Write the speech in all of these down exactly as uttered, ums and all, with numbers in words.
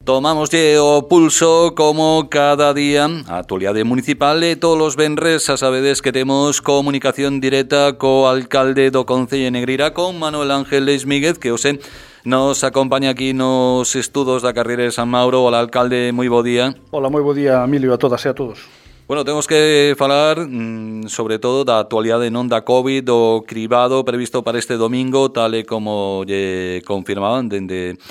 Tomámoslle o pulso como cada día a actualidade municipal e todos os venres a sabedes que temos comunicación directa co alcalde do Concello de Negreira, con Manuel Ángel Leis Míguez, que hoxe nos acompaña aquí nos estudos da carreira de San Mauro. Hola, alcalde, moi bo día. Hola, moi bo día, Emilio, a todas e a todos. Bueno, temos que falar mmm, sobre todo da actualidade non da COVID, do cribado previsto para este domingo, tal e como lle confirmaban dende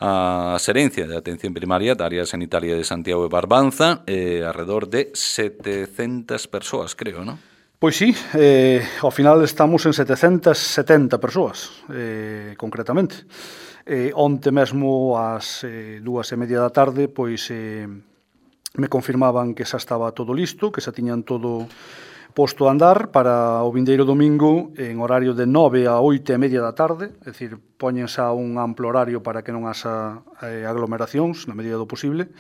a Xerencia de Atención Primaria da Área Sanitaria de Santiago de Barbanza, eh, alrededor de setecentas persoas, creo, non? Pois sí, eh, ao final estamos en setecentas setenta persoas, eh, concretamente. Eh, onte mesmo, ás eh, dúas e media da tarde, pois eh, me confirmaban que xa estaba todo listo, que xa tiñan todo posto a andar para o vindeiro domingo en horario de nove a oito e media da tarde, é dicir, poñen xa un amplo horario para que non haxa eh, aglomeracións na medida do posible,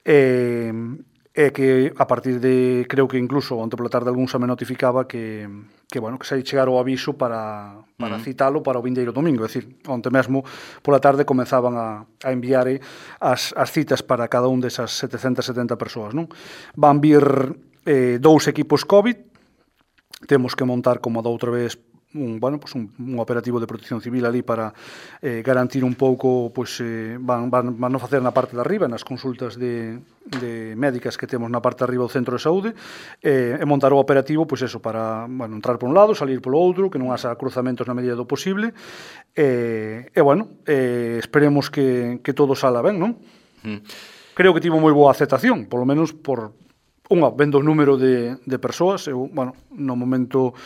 e, e que a partir de, creo que incluso onte pola tarde algún xa me notificaba que, que bueno, que xa ia chegar o aviso para, para uh-huh. citalo para o vindeiro domingo, é dicir, onte mesmo pola tarde comenzaban a, a enviar as, as citas para cada un desas setecentas setenta persoas, non? Van vir eh, dous equipos COVID, temos que montar como da outra vez un, bueno, pues un, un operativo de protección civil ali para eh, garantir un pouco, pues, eh, van, van, van a facer na parte de arriba, nas consultas de, de médicas que temos na parte de arriba do centro de saúde, eh, e montar o operativo, pues eso, para, bueno, entrar por un lado, salir polo outro, que non haxa cruzamentos na medida do posible, e, e bueno, eh, esperemos que, que todo sala ben, non? Mm. Creo que tivo moi boa aceptación, polo menos por unha, vendo o número de, de persoas. Eu, bueno, no momento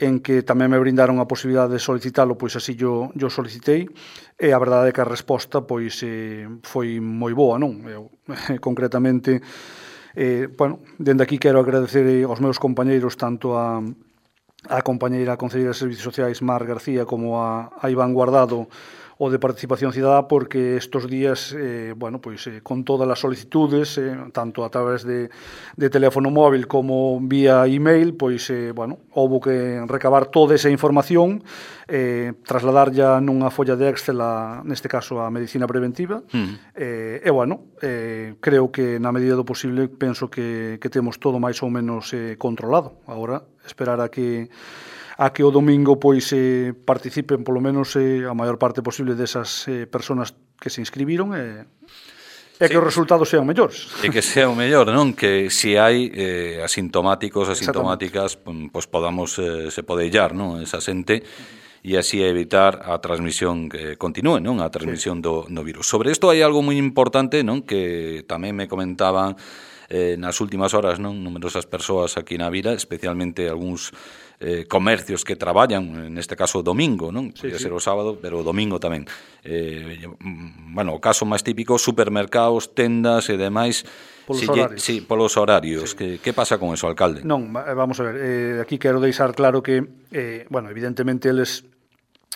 en que tamén me brindaron a posibilidade de solicitalo, pois así yo, yo solicitei, e a verdade é que a resposta pois eh, foi moi boa, non? Eu, concretamente, eh, bueno, dende aquí quero agradecer aos meus compañeiros, tanto a, a compañeira concelleira de Servicios Sociais, Mar García, como a, a Iván Guardado, o de Participación Cidadá, porque estos días, eh, bueno, pois eh, con todas as solicitudes, eh, tanto a través de, de teléfono móvil como vía email, pois, eh, bueno, houbo que recabar toda esa información, eh, trasladar ya nunha folla de Excel, a, neste caso, a medicina preventiva, mm. eh, e, bueno, eh, creo que na medida do posible, penso que, que temos todo máis ou menos eh, controlado. Agora, esperar a que a que o domingo pois eh, participen polo menos eh, a maior parte posible desas eh, personas que se inscribiron e, e que sí, os resultados sean mellores. E que sea o mellor, non? Que se hai eh, asintomáticos, asintomáticas, pois podamos eh, se podellar, non? Esa xente e así evitar a transmisión que continúe, non? A transmisión sí. do, do virus. Sobre isto hai algo moi importante, non? Que tamén me comentaban eh, nas últimas horas, non? Numerosas persoas aquí na vila, especialmente algúns Eh, comercios que traballan, neste caso domingo, non? Sí, Podría sí. ser o sábado, pero o domingo tamén. Eh, bueno, o caso máis típico, supermercados, tendas e demais. Polos si horarios. Lle, sí, polos horarios. Sí. Que, que pasa con eso, alcalde? Non, vamos a ver, eh, aquí quero deixar claro que, eh, bueno, evidentemente eles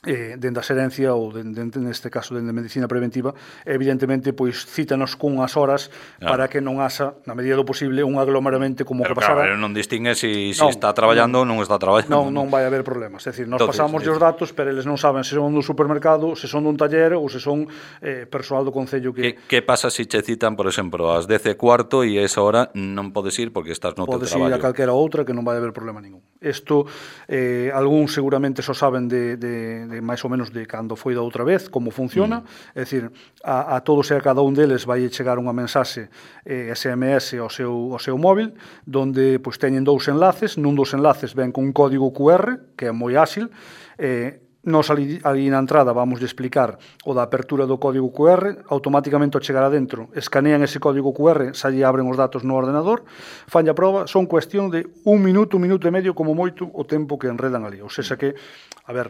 eh, dende a xerencia ou dende, neste caso dende medicina preventiva, evidentemente pois cítanos cunhas horas claro. para que non haxa, na medida do posible, un aglomeramente como pero que pasaba. Pero claro, non distingue si, si non, está traballando ou non, non está traballando. Non, non vai haber problemas, é dicir, nos Entonces, pasamos os datos, pero eles non saben se son dun supermercado, se son dun taller ou se son eh, persoal do Concello que... Que, que pasa se che citan, por exemplo, ás dez e cuarto e a esa hora non podes ir porque estás no teu traballo? Podes ir a calquera outra que non vai haber problema ningún. Isto, eh, algún seguramente só saben de, de, de máis ou menos de cando foi da outra vez, como funciona, mm. é dicir, a, a todos e a cada un deles vai chegar unha mensaxe eh, S M S ao seu, ao seu móvil, donde pois, teñen dous enlaces, nun dos enlaces ven con un código Q R, que é moi áxil, eh, nos ali, ali na entrada vamos de explicar o da apertura do código Q R, automáticamente ao chegar adentro, escanean ese código Q R, xa lle abren os datos no ordenador, fan a proba, son cuestión de un minuto, un minuto e medio, como moito, o tempo que enredan ali. Ou seja que, a ver,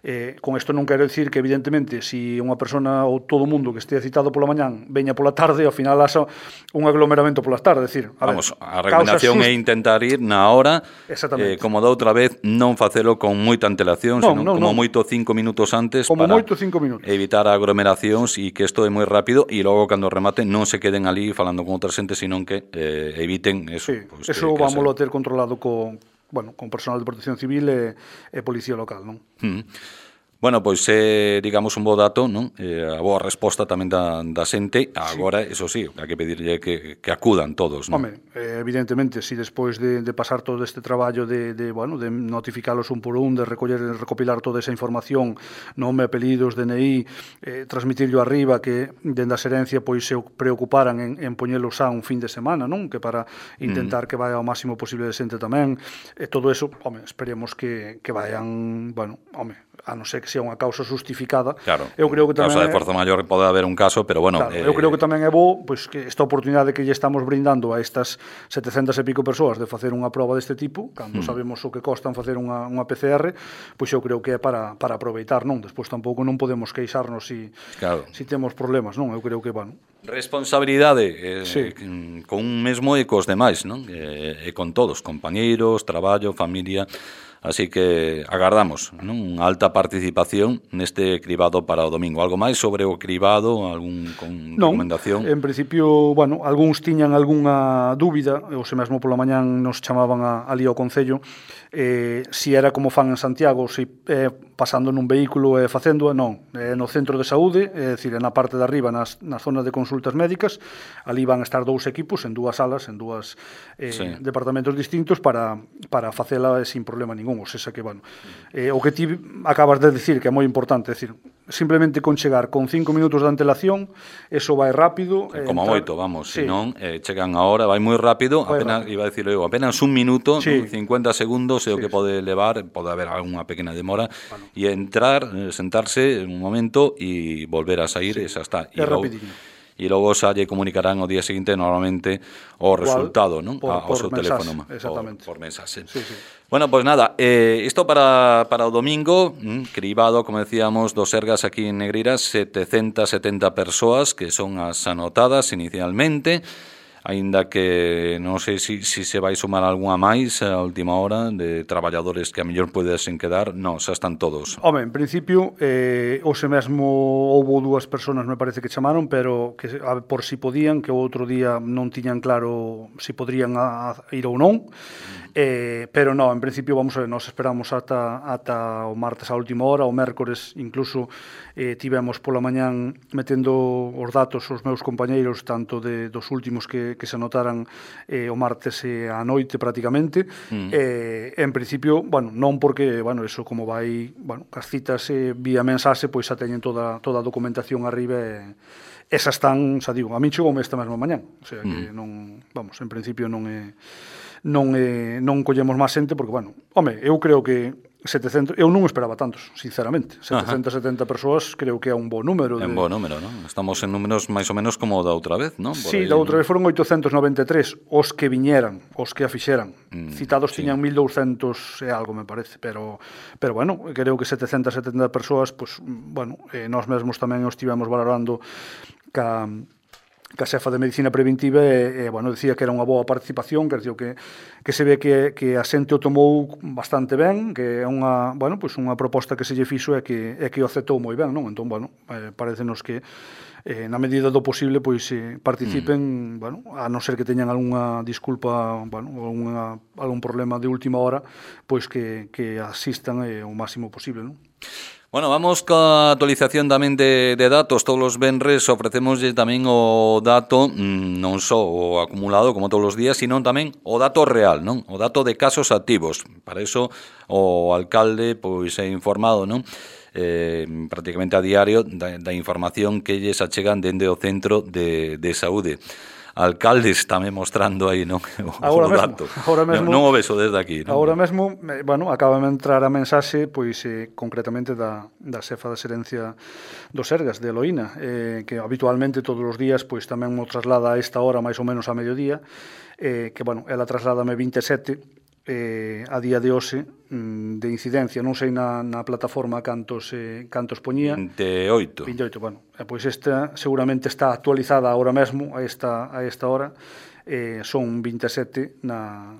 Eh, con isto non quero dicir que evidentemente se unha persona ou todo o mundo que estea citado pola mañán veña pola tarde, ao final haxa un aglomeramento polas tardes, decir, a Vamos, ver, a recomendación é intentar ir na hora, eh, como da outra vez, non facelo con moita antelación, non, senón non, como non. moito cinco minutos antes como para moito cinco minutos. evitar aglomeracións e que isto é moi rápido e logo cando remate non se queden ali falando con outra xente, senón que eh, eviten eso. Sí, pues, eso que, que vámoslo a ter controlado con, bueno, con personal de protección civil e, e policía local, non? Mm. Bueno, pois é, digamos, un bo dato, non? Eh, a boa resposta tamén da, da xente. Agora, sí. Eso sí, hai que pedirlle que, que acudan todos, non? Home, eh, evidentemente, si despois de, de pasar todo este traballo de, de, bueno, de notificalos un por un, de recoller e recopilar toda esa información, nome, apelidos, D N I, eh, transmitirlo arriba, que dende a xerencia pois se preocuparan en, en poñelos a un fin de semana, non? Que para intentar mm. que vaya ao máximo posible de xente tamén. E todo eso, home, esperemos que, que vayan, bueno, home, a non ser que sea unha causa justificada. Claro, eu creo que tamén causa de forza maior pode haber un caso, pero bueno... Claro, eh... eu creo que tamén é bo pois, que esta oportunidade que lle estamos brindando a estas setecentas e pico persoas de facer unha proba deste tipo, cando mm. sabemos o que costan facer unha, unha P C R, pois eu creo que é para, para aproveitar, non? Despois tampouco non podemos queixarnos si, claro. si temos problemas, non? Eu creo que, bueno... Responsabilidade eh, sí. con un mesmo e cos demais, non? E, e con todos, compañeiros, traballo, familia... Así que agardamos, non? Unha alta participación neste cribado para o domingo. Algo máis sobre o cribado, algún con non, recomendación? En principio, bueno, algúns tiñan algunha dúbida, ou se mesmo pola mañán nos chamaban a, ali ao Concello, eh, si era como fan en Santiago, si eh, pasando nun vehículo e eh, facendo, non, eh, no centro de saúde, é dicir, na parte de arriba, nas, na zona de consultas médicas, ali van a estar dous equipos en dúas salas, en dúas eh, sí. departamentos distintos para, para facela sin problema ningún. Ou seja que, bueno, eh, o que ti acabas de decir que é moi importante, é dicir, simplemente con chegar con cinco minutos de antelación, eso vai rápido. Eh, como entrar... moito, vamos, sí. senón eh, chegan a hora, vai moi rápido, vai apenas, rápido. Iba a decirlo eu, apenas un minuto, sí. cincuenta segundos é o que sí. pode levar, pode haber algunha pequena demora, bueno. e entrar, eh, sentarse un momento e volver a sair, sí. e xa está. É rapidinho. E logo xa lle comunicarán o día seguinte normalmente o resultado, non? Por, ao seu teléfono. Exactamente. Por, por mensaxe. Sí, sí. Bueno, pois pues nada, eh, isto para, para o domingo, mm, cribado, como decíamos, dos Sergas aquí en Negreiras, setecentas setenta persoas que son as anotadas inicialmente, aínda que non sei se si, si se vai sumar algunha máis a última hora de traballadores que a mellor podesen quedar. Non, xa están todos. Home, en principio, eh, hoxe mesmo houve dúas persoas, me parece que chamaron, pero que a, por si podían, que o outro día non tiñan claro se si podrían a, a ir ou non. Eh, pero non, en principio vamos a ver, nos esperamos ata, ata o martes a última hora, o mércores incluso eh, tivemos pola mañán metendo os datos os meus compañeiros tanto de, dos últimos que, que se anotaran eh, o martes e a noite prácticamente. Mm. eh, en principio, bueno, non porque, bueno, eso como vai, bueno, as citas eh, vía mensaxe, pois xa teñen toda, toda a documentación arriba e esas están, xa digo, a mí chegoume esta mesma mañán, o sea que mm. non, vamos, en principio non é non eh, non collemos máis xente porque, bueno, home, eu creo que setecentos, eu non esperaba tantos, sinceramente. setecentas setenta persoas creo que é un bo número. É un bo número, non? Estamos en números máis ou menos como da outra vez, non? Sí, da outra vez foron oitocentos noventa e tres os que viñeran, os que a fixeran. Mm, Citados sí. tiñan mil douscentos e algo, me parece, pero pero bueno, creo que setecentas setenta persoas, pues, bueno, eh, nós mesmos tamén os estivemos valorando ca que a xefa de Medicina Preventiva e, e bueno, decía que era unha boa participación, que, que, que se ve que, que a xente o tomou bastante ben, que é unha, bueno, pues unha proposta que se lle fixo e que, e que o aceptou moi ben, non? Entón, bueno, eh, parecenos que eh, na medida do posible pois eh, participen, mm. bueno, a non ser que teñan algunha disculpa, bueno, algunha, algún problema de última hora, pois que, que asistan eh, o máximo posible, non? Bueno, vamos ca actualización tamén de, de datos. Todos os venres ofrecemoslle tamén o dato, non só o acumulado como todos os días, sino tamén o dato real, non? O dato de casos activos. Para eso o alcalde pois é informado, non? Eh, prácticamente a diario da, da información que lles achegan dende o centro de, de saúde. Alcaldes tamén mostrando aí, non? O, agora o mesmo, dato. Agora mesmo, non, non o beso desde aquí, non? Agora mesmo, bueno, acaba de entrar a mensaxe, pois, eh, concretamente da, da xefa da xerencia dos Sergas, de Eloína, eh, que habitualmente todos os días, pois, tamén mo traslada a esta hora, máis ou menos a mediodía, eh, que, bueno, ela trasládame vinte e sete, eh, a día de hoxe de incidencia, non sei na, na plataforma cantos, eh, cantos poñía. vinte e oito. vinte e oito, bueno, eh, pois esta seguramente está actualizada agora mesmo, a esta, a esta hora, eh, son vinte e sete na,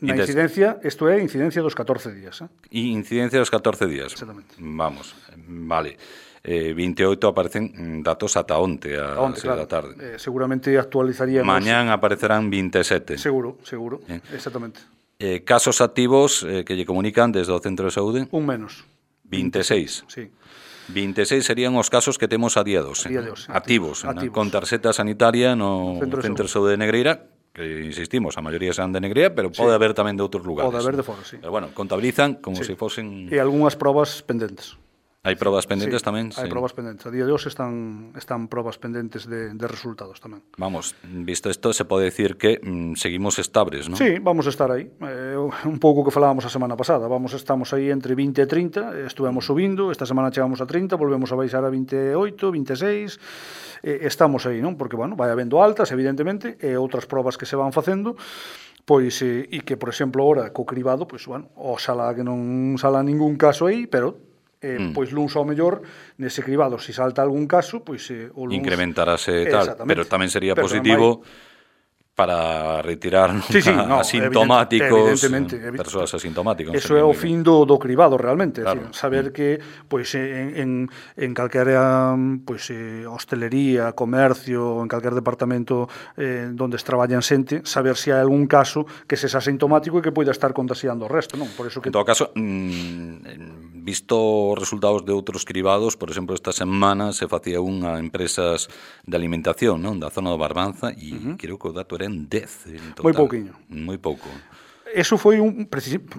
na incidencia, isto é incidencia dos catorce días. Eh? E incidencia dos catorce días. Exactamente. Vamos, vale. Eh, vinte e oito aparecen datos ata onte, a onte, claro. da tarde. Eh, seguramente actualizaríamos... Mañán aparecerán vinte e sete. Seguro, seguro, eh. exactamente. Eh, casos activos eh, que lle comunican desde o centro de saúde? Un menos. vinte e seis. Sí. vinte e seis serían os casos que temos a día doce, a día de hoxe, activos, activos. con tarxeta sanitaria no Centro de Centro de Saúde de Negreira, que insistimos, a maioría serán de Negreira, pero pode sí. haber tamén de outros lugares. Pode haber de fora, sí. Pero bueno, contabilizan como sí. se si fosen... E algunhas probas pendentes. Hai probas pendentes sí, tamén? Hai sí. probas pendentes. A día de hoxe están, están probas pendentes de, de resultados tamén. Vamos, visto isto, se pode decir que mm, seguimos estables, non? Sí, vamos a estar aí. Eh, un pouco que falábamos a semana pasada. Vamos, estamos aí entre vinte e trinta, estuvemos subindo, esta semana chegamos a trinta, volvemos a baixar a vinte e oito, vinte e seis, eh, estamos aí, non? Porque, bueno, vai habendo altas, evidentemente, e outras probas que se van facendo, pois, eh, e que, por exemplo, ora, co cribado, pois, bueno, oxalá que non sala ningún caso aí, pero... Eh, mm. pois luns ao mellor nese cribado, se si salta algún caso, pois eh, o luns incrementarase tal, pero tamén sería pero positivo para retirar sí, sí, no, asintomáticos, evidentemente, evidentemente, persoas asintomáticas. Eso é o fin do, do cribado realmente, claro. decir, saber mm. que pois en, en, en calquera pois, eh, hostelería, comercio, en calquer departamento eh, donde traballan xente, saber se hai algún caso que se é asintomático e que poida estar contagiando o resto, non? Por eso que... En todo caso, mmm, visto os resultados de outros cribados, por exemplo, esta semana se facía un a empresas de alimentación, non? Da zona do Barbanza, e uh-huh. creo que o dato era en dez en total. Moi pouquiño. Moi pouco. Eso foi un,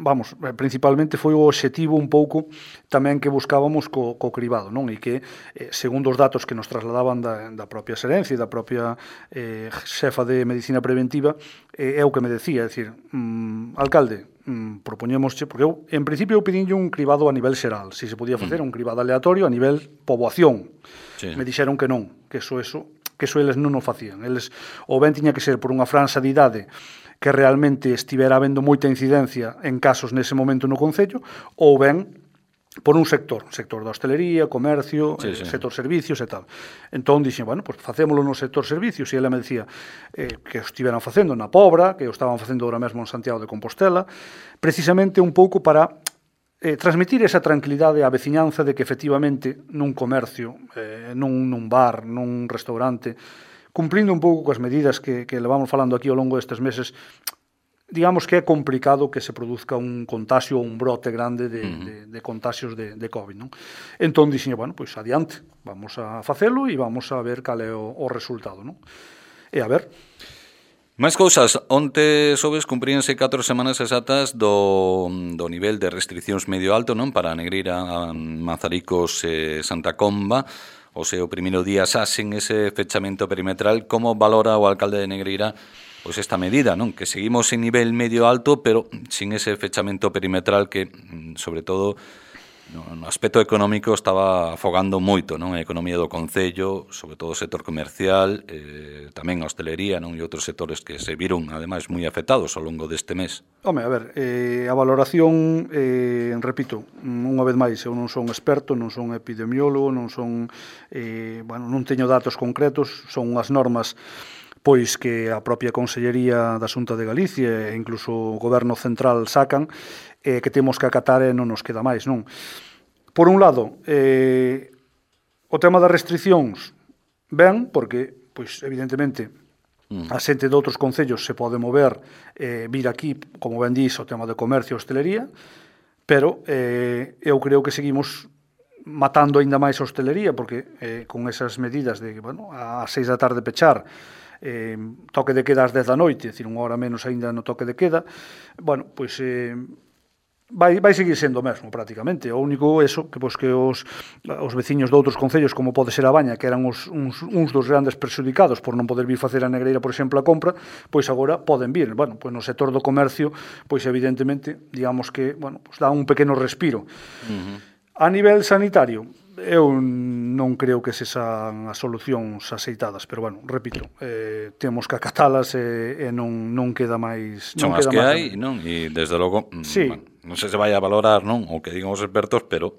vamos, principalmente foi o obxectivo un pouco tamén que buscábamos co, co cribado, non? E que, eh, segundo os datos que nos trasladaban da, da propia xerencia e da propia eh, xefa de Medicina Preventiva, eh, é o que me decía, é dicir, mm, alcalde, mm, propoñémosche, porque eu, en principio, eu pedinlle un cribado a nivel xeral, se se podía facer mm. un cribado aleatorio a nivel poboación. Sí. Me dixeron que non, que eso, eso, que eso eles non o facían. Eles, ou ben tiña que ser por unha franxa de idade que realmente estivera habendo moita incidencia en casos nese momento no Concello, ou ben por un sector, sector da hostelería, comercio, sí, sí. Eh, sector servicios e tal. Entón dixen, bueno, pues facémolo no sector servicios, e ela me decía eh, que o estiveran facendo na Pobra, que o estaban facendo ahora mesmo en Santiago de Compostela, precisamente un pouco para eh, transmitir esa tranquilidade á veciñanza de que efectivamente nun comercio, eh, nun, nun bar, nun restaurante, cumplindo un pouco coas medidas que, que levamos falando aquí ao longo destes meses, digamos que é complicado que se produzca un contagio ou un brote grande de, uh-huh. de, de contagios de, de COVID, non? Entón, dixen, bueno, pois adiante, vamos a facelo e vamos a ver cal é o, o resultado, non? E a ver... Máis cousas, onte sobes cumpríanse catro semanas exactas do, do nivel de restriccións medio alto, non? Para Negreira, Mazaricos e Santa Comba, o seu primeiro día xa sen ese fechamento perimetral. Como valora o alcalde de Negreira pois esta medida, non? Que seguimos en nivel medio alto, pero sin ese fechamento perimetral que, sobre todo, no aspecto económico estaba afogando moito, non? A economía do Concello, sobre todo o sector comercial, eh, tamén a hostelería, non? E outros sectores que se viron, ademais, moi afectados ao longo deste mes. Home, a ver, eh, a valoración, eh, repito, unha vez máis, eu non son experto, non son epidemiólogo, non son, eh, bueno, non teño datos concretos, son unhas normas pois que a propia Consellería da Xunta de Galicia e incluso o Goberno Central sacan, eh, que temos que acatar e non nos queda máis, non? Por un lado, eh, o tema das restriccións, ben, porque, pois, evidentemente, mm. a xente de outros concellos se pode mover, eh, vir aquí, como ben dís, o tema de comercio e hostelería, pero eh, eu creo que seguimos matando aínda máis a hostelería, porque eh, con esas medidas de, bueno, a seis da tarde pechar, eh, toque de queda ás dez da noite, é dicir, unha hora menos aínda no toque de queda, bueno, pois eh, vai, vai seguir sendo o mesmo prácticamente. O único eso, que pois que os, os veciños de outros concellos, como pode ser a Baña, que eran os, uns, uns dos grandes perxudicados por non poder vir facer a Negreira, por exemplo, a compra, pois agora poden vir. Bueno, pois no sector do comercio, pois evidentemente, digamos que, bueno, pois dá un pequeno respiro. Uh-huh. A nivel sanitario, eu non creo que sexan as solucións aceitadas, pero, bueno, repito, eh, temos que acatalas e, e non, non queda máis... Son non as queda que máis hai, non? E, desde logo, sí. bueno, non sei se vai a valorar, non? O que digan os expertos, pero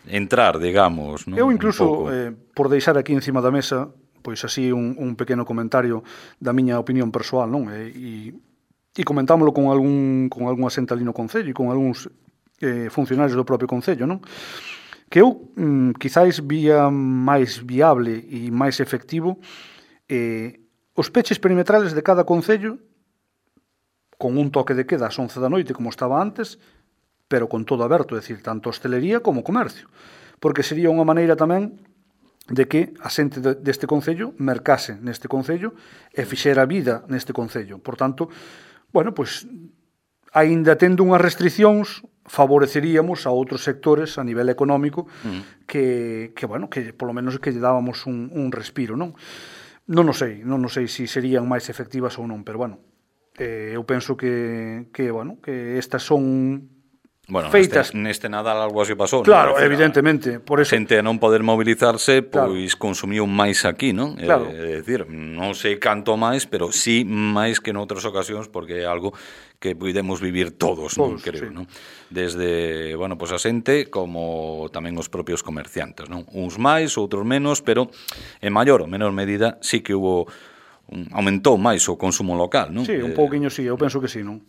entrar, digamos, non? Eu incluso, eh, por deixar aquí encima da mesa, pois así un, un pequeno comentario da miña opinión persoal, non? E, e, e comentámoslo con algún, con algún asente ali no Concello e con algúns eh, funcionarios do propio Concello, non? Que eu, mm, quizáis, vía máis viable e máis efectivo eh, os peches perimetrales de cada concello con un toque de queda ás once da noite, como estaba antes, pero con todo aberto, é dicir, tanto hostelería como comercio, porque sería unha maneira tamén de que a xente deste concello mercase neste concello e fixera vida neste concello. Por tanto, bueno, pois, aínda tendo unhas restriccións, favoreceríamos a outros sectores a nivel económico mm. que, que, bueno, que polo menos que lle dábamos un, un respiro, non? Non o sei, non o sei se serían máis efectivas ou non, pero, bueno, eh, eu penso que, que, bueno, que estas son bueno, feitas. Neste, neste Nadal algo así pasou. Claro, non? evidentemente. Por eso... A xente a non poder mobilizarse, pois claro. consumiu máis aquí, non? Claro. É dicir, non sei canto máis, pero sí máis que noutras ocasións, porque é algo que podemos vivir todos, non creo, sí. non? Desde, bueno, pois a xente como tamén os propios comerciantes, non? Uns máis, outros menos, pero en maior ou menor medida sí que hubo un, aumentou máis o consumo local, non? Sí, un pouquiño sí, eu penso que sí, non?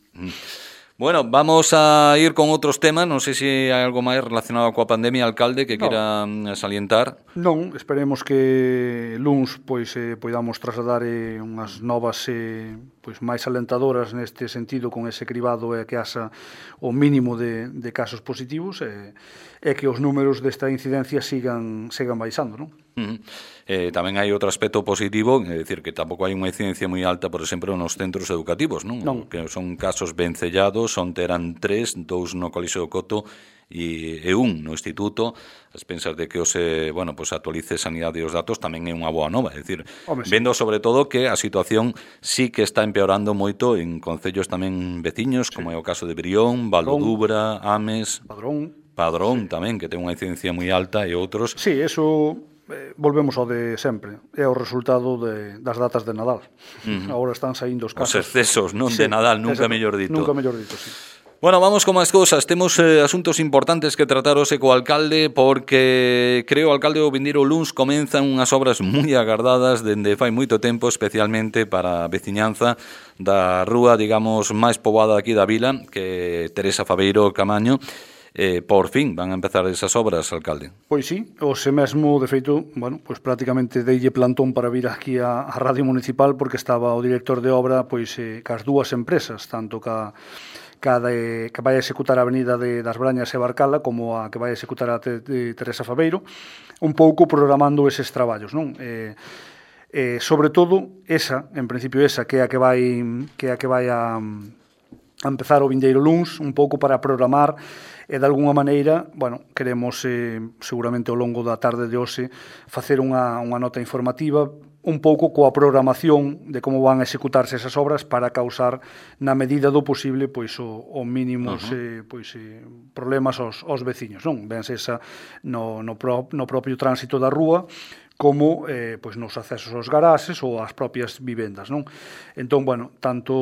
Bueno, vamos a ir con outros temas. Non sei se hai algo máis relacionado coa pandemia, alcalde, que no. queira salientar. Non, esperemos que luns pois eh, poidamos trasladar eh, unhas novas eh, pois máis alentadoras neste sentido, con ese cribado e que haxa o mínimo de, de casos positivos e, e que os números desta incidencia sigan, sigan baixando, non? Uh-huh. Eh, tamén hai outro aspecto positivo, é dicir, que tampouco hai unha incidencia moi alta, por exemplo, nos centros educativos, non? non. Que son casos vencellados, onte eran tres, dous no Colexio do Coto e, e un no Instituto. As pensas de que os, eh, bueno, pues actualice Sanidade os datos tamén é unha boa nova, é dicir, Hombre, sí. vendo sobre todo que a situación sí que está empeorando moito en concellos tamén veciños, sí. como é o caso de Brión, Valdodubra, Ames, Padrón, Padrón sí. tamén, que ten unha incidencia moi alta, e outros. Sí, eso... Eh, volvemos ao de sempre, é o resultado de, das datas de Nadal. Uh-huh. Agora están saindo os casos. Os excesos, non sí, de Nadal, nunca mellor dito. Nunca mellor dito, sí. Bueno, vamos con máis cousas. Temos eh, asuntos importantes que tratar hoxe co alcalde, porque creo, alcalde, o vindeiro luns comenzan unhas obras moi agardadas dende fai moito tempo, especialmente para a veciñanza da rúa, digamos, máis poboada aquí da vila, que Teresa Faveiro Camaño. Eh, por fin van a empezar esas obras, alcalde. Pois sí, hoxe mesmo, de feito, bueno, pois prácticamente deille plantón para vir aquí a, a Radio Municipal, porque estaba o director de obra pois eh, cas dúas empresas, tanto ca, ca de, que vai a executar a avenida de, das Brañas e Barcala, como a que vai a executar a de, de Teresa Faveiro, un pouco programando eses traballos, non? Eh, eh, sobre todo, esa, en principio esa, que é a que vai, que é a que vai a, a empezar o vindeiro luns, un pouco para programar e de alguna maneira, bueno, queremos eh, seguramente ao longo da tarde de hoxe facer unha, unha nota informativa un pouco coa programación de como van a executarse esas obras para causar na medida do posible pois o, o mínimos uh-huh. eh, pois, eh, problemas aos, aos veciños, non? Vense esa no, no, pro, no propio tránsito da rúa como eh, pois nos accesos aos garaxes ou ás propias vivendas, non? Entón, bueno, tanto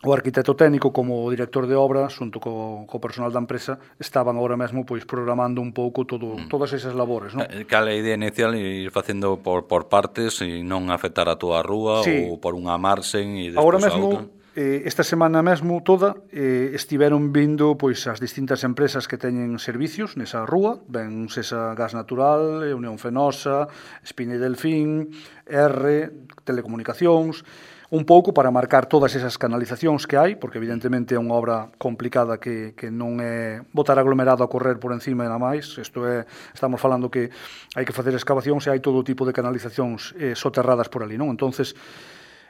o arquitecto técnico como o director de obra, xunto co, co personal da empresa, estaban agora mesmo pois programando un pouco todo, mm. todas esas labores, non? Cal a idea inicial ir facendo por, por partes e non afectar a toda a rúa sí. ou por unha marxen e despois agora a mesmo, outra? Eh, esta semana mesmo toda eh, estiveron vindo pois as distintas empresas que teñen servicios nesa rúa, ben Sesa Gas Natural, Unión Fenosa, Espine Delfín, R, Telecomunicacións, un pouco para marcar todas esas canalizacións que hai, porque evidentemente é unha obra complicada que, que non é botar aglomerado a correr por encima e nada máis. Isto é, estamos falando que hai que facer excavacións e hai todo tipo de canalizacións eh, soterradas por ali, non? Entonces,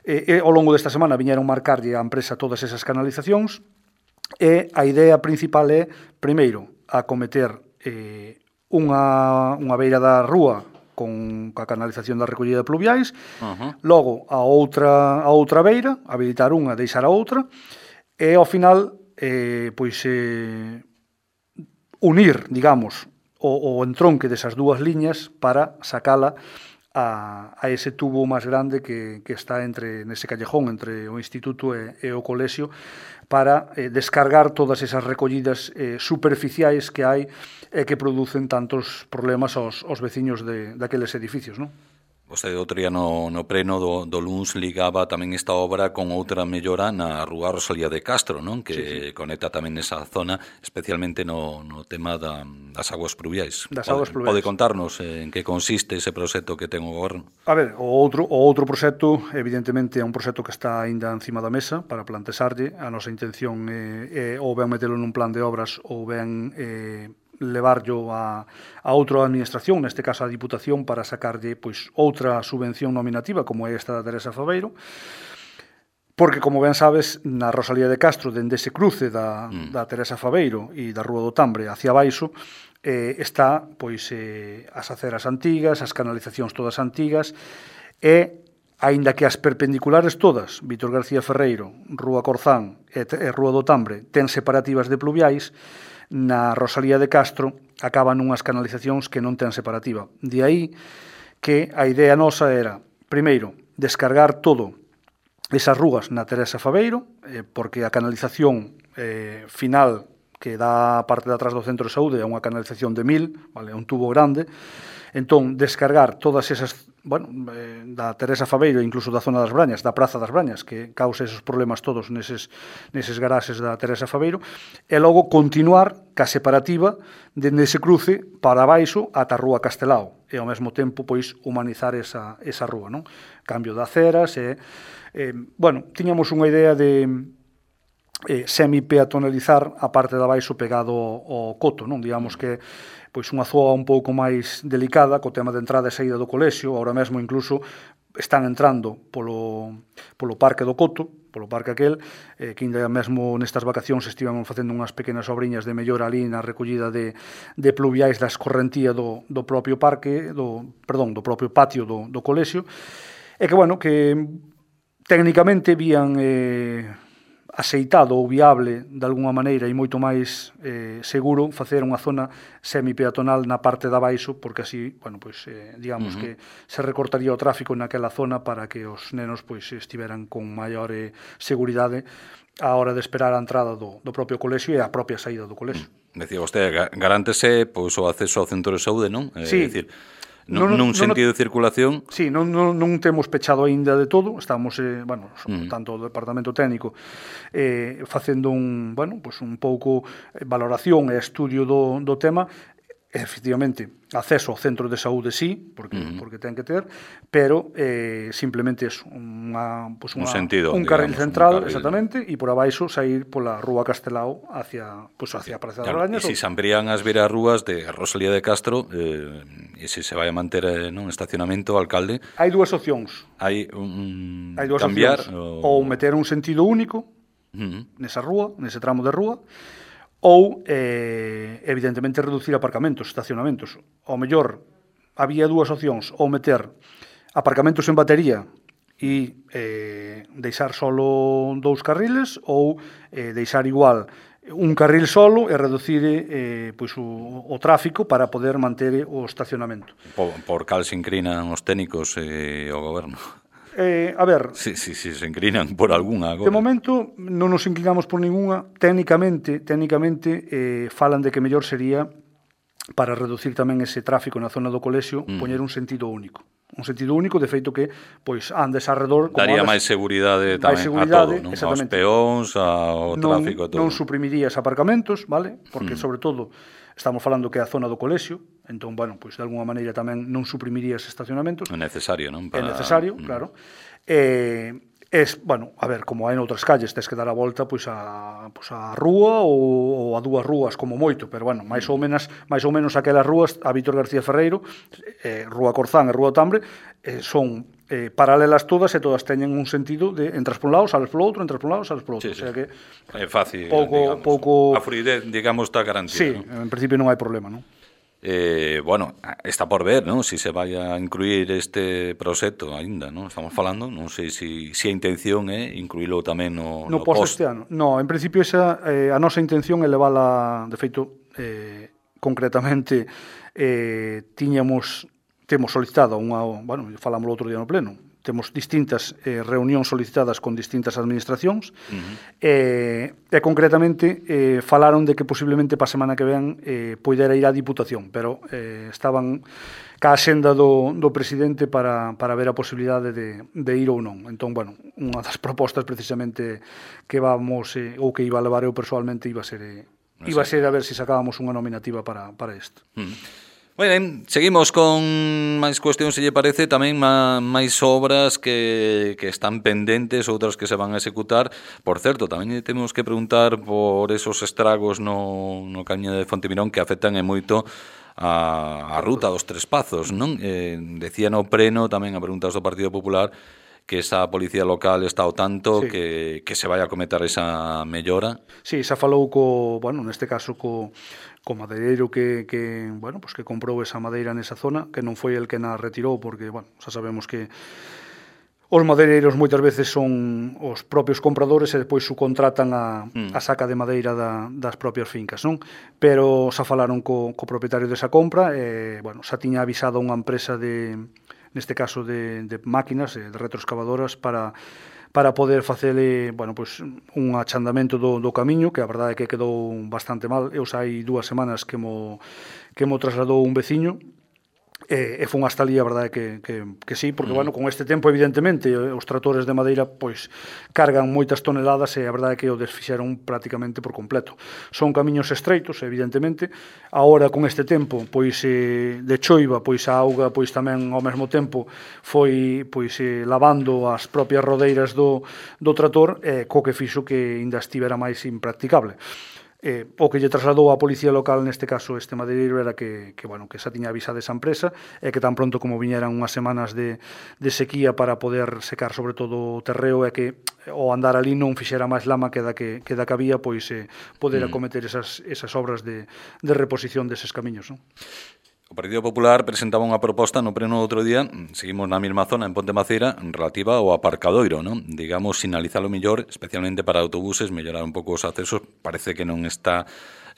eh, eh, ao longo desta semana viñeron marcarlle á empresa todas esas canalizacións e a idea principal é, primeiro, acometer eh, unha, unha beira da rúa con a canalización da recollida de pluviais, uh-huh. logo a outra a outra beira, habilitar unha, deixar a outra, e ao final eh, pois eh, unir, digamos, o, o entronque desas dúas liñas para sacala a, a ese tubo máis grande que, que está entre nese callejón entre o Instituto e, e o Colexio, para eh, descargar todas esas recollidas eh, superficiais que hai e que producen tantos problemas aos, aos veciños de, daqueles edificios, non? Vostede outro día no, no pleno do, do Luns ligaba tamén esta obra con outra mellora na rúa Rosalía de Castro, non? Que sí, sí. conecta tamén esa zona, especialmente no, no tema da, das aguas pluviais. Das pode, aguas pluviais. Pode contarnos en que consiste ese proxecto que ten o goberno? A ver, o outro, o outro proxecto, evidentemente, é un proxecto que está aínda encima da mesa para plantexarlle. A nosa intención é, é ou ben metelo nun plan de obras ou ben eh, levarlo a, a outra administración, neste caso a Diputación, para sacarlle pois outra subvención nominativa como é esta da Teresa Faveiro, porque, como ben sabes, na Rosalía de Castro, dende ese cruce da, mm. da Teresa Faveiro e da Rúa do Tambre hacia baixo, eh, está pois eh, as aceras antigas, as canalizacións todas antigas, e aínda que as perpendiculares todas, Vítor García Ferreiro, Rúa Corzán e, e Rúa do Tambre, ten separativas de pluviais, na Rosalía de Castro acaban unhas canalizacións que non ten separativa. De aí que a idea nosa era, primeiro, descargar todo esas rúas na Teresa Faveiro, eh, porque a canalización eh, final que dá a parte de atrás do centro de saúde é unha canalización de mil, vale, un tubo grande. Entón, descargar todas esas, bueno, eh, da Teresa Faveiro, incluso da zona das Brañas, da Praza das Brañas, que causa esos problemas todos neses, neses garaxes da Teresa Faveiro, e logo continuar ca separativa dende ese cruce para baixo ata a Rúa Castelao, e ao mesmo tempo, pois, humanizar esa, esa rúa, non? Cambio de aceras, e, eh, bueno, tiñamos unha idea de eh, semi-peatonalizar a parte de baixo pegado ao coto, non? Digamos que pois unha zoa un pouco máis delicada co tema de entrada e saída do colexio. Ahora mesmo incluso están entrando polo, polo parque do Coto, polo parque aquel, eh, que ainda mesmo nestas vacacións estivamos facendo unhas pequenas obriñas de mellora ali na recollida de, de pluviais da escorrentía do, do propio parque, do, perdón, do propio patio do, do colexio, e que, bueno, que técnicamente vían eh, aceitado ou viable de alguna maneira e moito máis eh, seguro facer unha zona semipeatonal na parte de abaixo, porque así, bueno, pois eh, digamos uh-huh. que se recortaría o tráfico naquela zona para que os nenos pois estiveran con maior eh, seguridade á hora de esperar a entrada do, do propio colexio e a propia saída do colexio. Decía vostede, garántese pois o acceso ao centro de saúde, non? Sí. É dicir, nun, nun sentido de circulación. Sí, non, non, non temos pechado aínda de todo, estamos, eh, bueno, mm. tanto o departamento técnico eh, facendo un, bueno, pues un pouco valoración e estudio do, do tema. Efectivamente, acceso ao centro de saúde sí, porque, uh-huh. porque ten que ter, pero eh, simplemente es unha, pues unha, un, sentido, un digamos, carril central, un carril. Exactamente, e por abaixo sair pola Rúa Castelao hacia, pues, hacia a Praza das Brañas. E se amplían as viras rúas de Rosalía de Castro, eh, e se se vai a manter eh, non estacionamento, alcalde... Hai dúas opcións. Hai un... Hai dúas cambiar, opcións. Ou... ou meter un sentido único uh-huh. nesa rúa, nese tramo de rúa, ou, eh, evidentemente, reducir aparcamentos, estacionamentos. Ao mellor, había dúas opcións, ou meter aparcamentos en batería e eh, deixar solo dous carriles, ou eh, deixar igual un carril solo e reducir eh, pois o, o tráfico para poder manter o estacionamento. Por, por cal se inclinan os técnicos e o goberno? Eh, a ver... Si, si, si se inclinan por algunha agora. De momento non nos inclinamos por ninguna. Técnicamente, técnicamente eh, falan de que mellor sería, para reducir tamén ese tráfico na zona do colexio, mm. poñer un sentido único. Un sentido único, de feito que pois andes arredor... Daría andes, máis seguridade tamén seguridade, a todo, non? Aos peóns, ao tráfico, non, todo. Non suprimirías aparcamentos, vale? Porque, mm. sobre todo, estamos falando que é a zona do colexio, entón, bueno, pois de alguma maneira tamén non suprimirías estacionamentos. É necesario, non? Para... É necesario, mm. claro. Eh, es, bueno, a ver, como hai noutras calles, tes que dar a volta pois a, pois a rúa ou, ou a dúas rúas como moito, pero bueno, máis ou menos, máis ou menos aquelas rúas, a Vítor García Ferreiro, eh, Rúa Corzán e Rúa Tambre, eh, son eh, paralelas todas e todas teñen un sentido de entras por un lado, sales polo outro, entras por un lado, sales polo outro. Sí, sí. O sea que é fácil, pouco, digamos. Pouco... A fluidez, digamos, está garantida. Sí, ¿no? En principio non hai problema, non? Eh, bueno, está por ver, non? Si se vai a incluir este proxecto aínda, non? Estamos falando, non sei se si, si a intención é incluílo tamén no, no, no post post. este ano. No, en principio esa, eh, a nosa intención é levala, de feito, eh, concretamente, eh, tiñamos, temos solicitado unha, bueno, falámoslo outro día no pleno, temos distintas eh, reunións solicitadas con distintas administracións, uh-huh. e, e concretamente eh, falaron de que posiblemente pa semana que ven eh, poidera ir á Diputación, pero eh, estaban ca axenda do, do presidente para, para ver a posibilidade de, de ir ou non. Entón, bueno, unha das propostas precisamente que vamos, eh, ou que iba a levar eu personalmente, iba a ser, eh, iba a ser a ver se si sacábamos unha nominativa para, para isto. Uh-huh. Moi ben, seguimos con máis cuestións, se lle parece, tamén máis obras que, que están pendentes, outras que se van a executar. Por certo, tamén temos que preguntar por esos estragos no, no camiño de Fontemirón que afectan e moito a, a ruta dos Tres Pazos, non? Eh, decía no preno, tamén a preguntas do Partido Popular, que esa policía local está ao tanto, sí. que, que se vai a cometer esa mellora. Sí, xa falou co, bueno, neste caso co co madeireiro que, que, bueno, pues que comprou esa madeira nesa zona, que non foi el que na retirou, porque, bueno, xa sabemos que os madeireiros moitas veces son os propios compradores e depois subcontratan a, mm. a saca de madeira da, das propias fincas, non? Pero xa falaron co, co propietario desa compra e, bueno, xa tiña avisado unha empresa de, neste caso de, de máquinas, de retroexcavadoras, para para poder facele, bueno, pues, un achandamento do, do camiño, que a verdade é que quedou bastante mal. Eu xa hai dúas semanas que mo, que mo trasladou un veciño, e, e fun hasta ali, a verdade que, que, que sí, porque, mm. bueno, con este tempo, evidentemente, os tractores de madeira, pois, cargan moitas toneladas e a verdade é que o desfixeron prácticamente por completo. Son camiños estreitos, evidentemente. Agora, con este tempo, pois, eh, de choiva, pois, a auga, pois, tamén, ao mesmo tempo, foi, pois, eh, lavando as propias rodeiras do, do trator, e eh, co que fixo que ainda estivera máis impracticable. Eh, o que lle trasladou a policía local, neste caso este madeireiro, era que, que, bueno, que xa tiña avisado esa empresa e que tan pronto como viñeran unhas semanas de, de sequía para poder secar sobre todo o terreo e que o andar ali non fixera máis lama que da que, que, da que había, pois eh, poder mm. acometer esas, esas obras de, de reposición deses camiños, non? O Partido Popular presentaba unha proposta no pleno outro día, seguimos na mesma zona en Ponte Maceira, relativa ao aparcadoiro, non? Digamos, sinalizalo mellor, especialmente para autobuses, mellorar un pouco os accesos. Parece que non está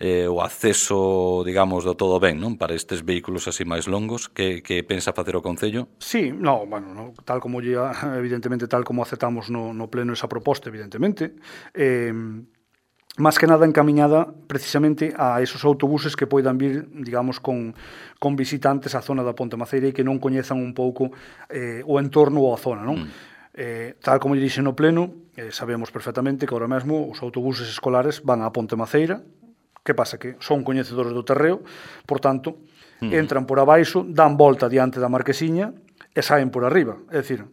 eh, o acceso, digamos, do todo ben, non? Para estes vehículos así máis longos. Que, que pensa facer o Concello? Sí, no, bueno, no, tal como ya, evidentemente, tal como aceptamos no, no pleno esa proposta, evidentemente, eh, máis que nada encamiñada precisamente a esos autobuses que poidan vir, digamos, con, con visitantes á zona da Ponte Maceira e que non coñezan un pouco eh, o entorno ou a zona, non? Mm. Eh, tal como lle dixe no pleno, eh, sabemos perfectamente que ahora mesmo os autobuses escolares van á Ponte Maceira. Que pasa? Que son coñecedores do terreo, por tanto, mm. entran por abaixo, dan volta diante da marquesiña e saen por arriba. É dicir,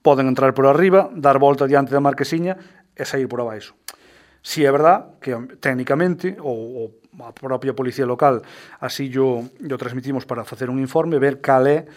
poden entrar por arriba, dar volta diante da marquesiña e sair por abaixo. Si é verdad que técnicamente ou, ou a propia policía local así yo, yo transmitimos para facer un informe, ver cal é,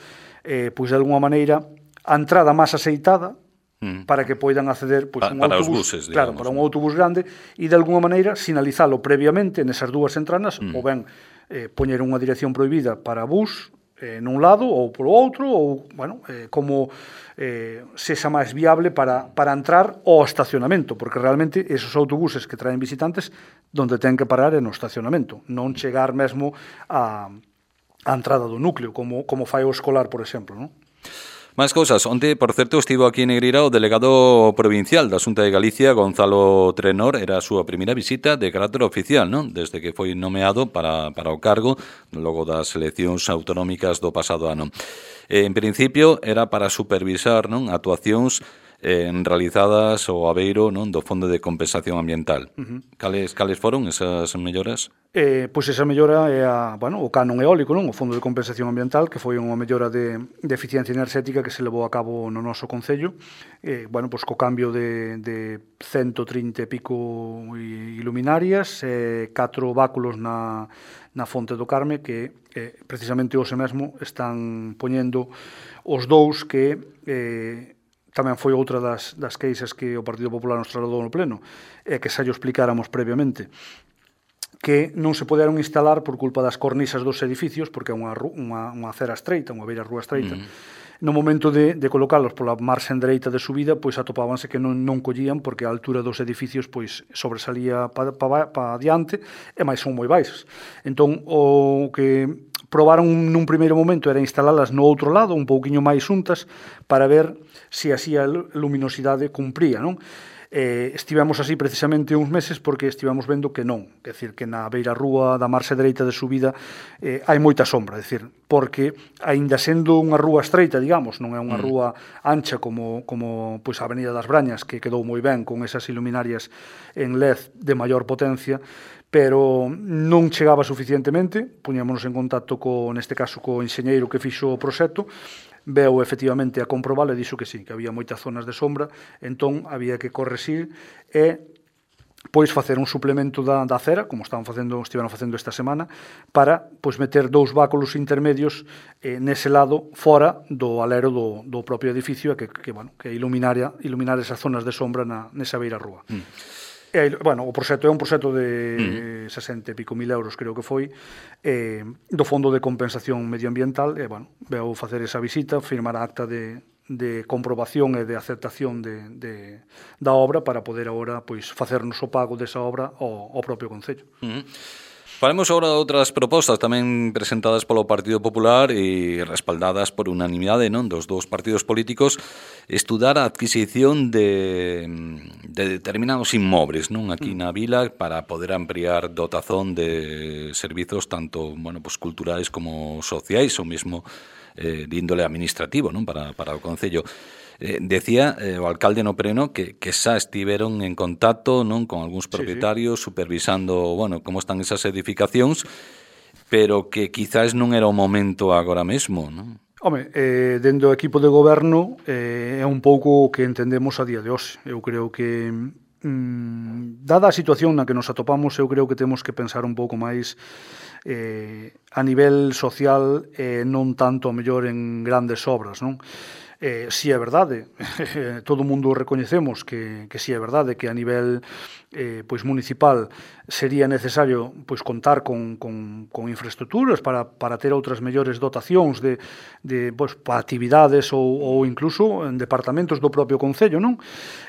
eh, pois de alguma maneira, a entrada máis aceitada mm. para que poidan acceder pois, pa, un para autobús, os buses, claro, digamos, para un autobús grande e de alguma maneira sinalizalo previamente nesas dúas entranas mm. ou ben eh, poñer unha dirección prohibida para bus eh, nun lado ou polo outro ou, bueno, eh, como eh, sexa máis viable para, para entrar ao estacionamento, porque realmente esos autobuses que traen visitantes donde ten que parar é no estacionamento, non chegar mesmo a, a entrada do núcleo, como, como fai o escolar, por exemplo, non? Máis cousas. Onte, por certo, estivo aquí en Negreira o delegado provincial da Xunta de Galicia, Gonzalo Trenor. Era a súa primeira visita de carácter oficial, non? Desde que foi nomeado para, para o cargo, logo das eleccións autonómicas do pasado ano. En principio, era para supervisar, non, actuacións eh, realizadas ao abeiro, non, do Fondo de Compensación Ambiental. Uh-huh. Cales, cales foron esas melloras? Eh, pois esa mellora é a, bueno, o canon eólico, non? O Fondo de Compensación Ambiental, que foi unha mellora de, de eficiencia enerxética que se levou a cabo no noso Concello. Eh, bueno, pois co cambio de, de ciento trinta e pico iluminarias, eh, catro báculos na, na Fonte do Carme, que eh, precisamente hoxe mesmo están poñendo os dous que eh, tamén foi outra das, das queixas que o Partido Popular nos trasladou no pleno, e que xa llo explicáramos previamente, que non se poderon instalar por culpa das cornisas dos edificios, porque é unha, unha, unha acera estreita, unha beira rúa estreita. Mm. No momento de, de colocalos pola marxen dereita de subida, pois atopábanse que non, non collían, porque a altura dos edificios pois sobresalía para pa, pa adiante, e máis son moi baixas. Entón, o que probaron nun primeiro momento era instalalas no outro lado, un pouquiño máis xuntas, para ver se así a luminosidade cumpría, non? Eh, estivemos así precisamente uns meses porque estivemos vendo que non, é dicir, que na beira rúa da marxe dereita de subida eh, hai moita sombra, é dicir, porque aínda sendo unha rúa estreita, digamos, non é unha rúa ancha como, como pois, a Avenida das Brañas, que quedou moi ben con esas iluminarias en L E D de maior potencia, pero non chegaba suficientemente. Puñámonos en contacto co, neste caso, co enxeñeiro que fixo o proxecto, veu efectivamente a comprobalo e dixo que sí, que había moitas zonas de sombra, entón había que correxir e pois facer un suplemento da, da cera, como estaban facendo, estiveron facendo esta semana, para pois meter dous báculos intermedios eh, nese lado fora do alero do, do propio edificio e que, que, bueno, que iluminar, iluminar esas zonas de sombra na, nesa beira rúa. Mm. E, bueno, o proxecto é un proxecto de mm. sesenta e pico mil euros, creo que foi, eh, do Fondo de Compensación Medioambiental, e, bueno, veu facer esa visita, firmar a acta de, de comprobación e de aceptación de, de, da obra para poder agora pois, facernos o pago desa obra ao, ao propio Concello. Mm. Falemos agora de outras propostas tamén presentadas polo Partido Popular e respaldadas por unanimidade, non, dos dous partidos políticos, estudar a adquisición de, de determinados inmóveis, non, aquí na vila para poder ampliar dotazón de servizos tanto, bueno, pues culturais como sociais ou mesmo eh, de índole administrativo, non, para, para o Concello. Eh, decía eh, o alcalde no Preno que, que xa estiveron en contacto, non, con algúns propietarios, sí, sí, supervisando, bueno, como están esas edificacións, pero que quizás non era o momento agora mesmo, non? Home, eh, dentro do equipo de goberno eh, é un pouco o que entendemos a día de hoxe. Eu creo que mm, dada a situación na que nos atopamos, eu creo que temos que pensar un pouco máis eh, a nivel social e eh, non tanto a mellor en grandes obras, non? Eh, si é verdade, todo o mundo recoñecemos que, que si é verdade que a nivel eh, pois municipal sería necesario pois contar con, con, con infraestructuras para, para ter outras mellores dotacións de, de pois, para actividades ou, ou incluso en departamentos do propio Concello, non?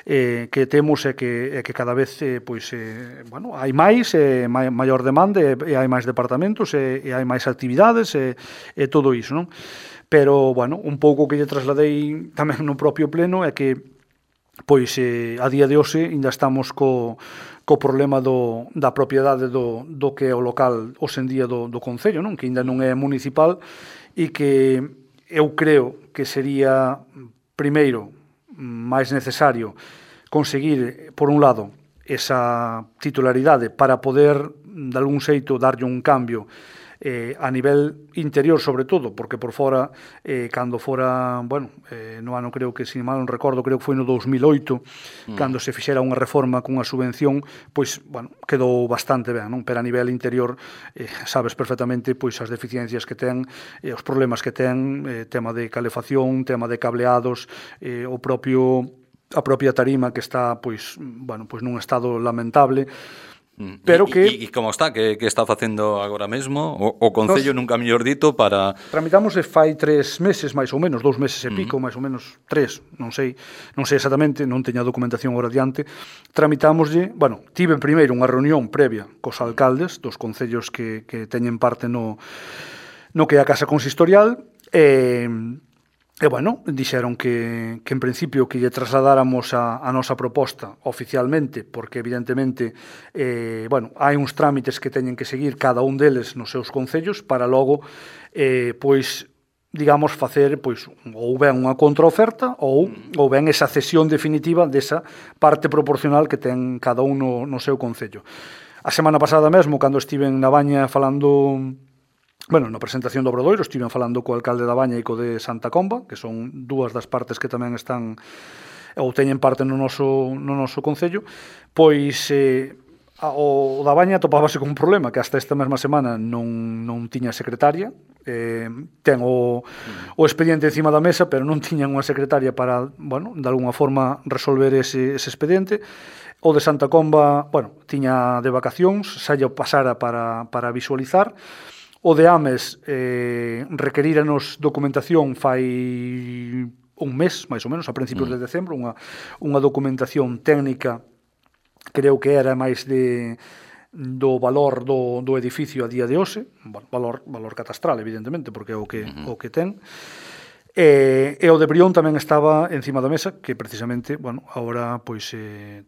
Eh, que temos é que, é que cada vez eh, pois, eh, bueno, hai máis, eh, maior demanda e, e hai máis departamentos e, e hai máis actividades e, e todo iso, non? Pero, bueno, un pouco que lle trasladei tamén no propio pleno é que, pois, eh, a día de hoxe ainda estamos co, co problema do, da propiedade do, do que é o local hoxe en día do, do Concello, non? Que ainda non é municipal e que eu creo que sería, primeiro, máis necesario conseguir, por un lado, esa titularidade para poder, de algún xeito, darlle un cambio Eh, a nivel interior sobre todo, porque por fora eh, cando fora, bueno, eh, no ano creo que, se mal non recordo, creo que foi no dous mil oito, mm. cando se fixera unha reforma cunha subvención, pois, bueno, quedou bastante ben, non? Pero a nivel interior eh, sabes perfectamente pois as deficiencias que ten, eh, os problemas que ten, eh, tema de calefacción, tema de cableados, eh, o propio a propia tarima que está, pois, bueno, pois nun estado lamentable. Pero que e, e como está, que, que está facendo agora mesmo o, o Concello, nunca mellor dito, para... Tramitamos fai tres meses, máis ou menos, dous meses e pico, uh-huh. máis ou menos tres, non sei, non sei exactamente, non teño a documentación agora diante. Tramitámoslle, bueno, tive primeiro unha reunión previa cos alcaldes dos concellos que, que teñen parte no, no que é a Casa Consistorial, e... E, bueno, dixeron que, que en principio que lle trasladáramos a, a nosa proposta oficialmente, porque evidentemente, eh, bueno, hai uns trámites que teñen que seguir cada un deles nos seus concellos para logo, eh, pois, digamos, facer, pois, ou ben unha contraoferta ou, ou ben esa cesión definitiva desa parte proporcional que ten cada un no, no seu concello. A semana pasada mesmo, cando estiven na Baña falando... Bueno, na presentación do Obradoiro estiven falando co alcalde da Baña e co de Santa Comba, que son dúas das partes que tamén están ou teñen parte no noso, no noso concello, pois eh, o da Baña topábase con un problema que hasta esta mesma semana non, non tiña secretaria, eh, ten o, o expediente encima da mesa, pero non tiñan unha secretaria para, bueno, de alguna forma resolver ese, ese expediente. O de Santa Comba, bueno, tiña de vacacións, xa lle pasara para, para visualizar. O de Ames eh, requeríranos documentación fai un mes, máis ou menos, a principios mm. de decembro, unha, unha documentación técnica, creo que era máis de, do valor do, do edificio a día de hoxe, valor, valor catastral, evidentemente, porque é o que, uh-huh. o que ten. E, e o de Brión tamén estaba encima da mesa, que precisamente, bueno, agora, pois, eh,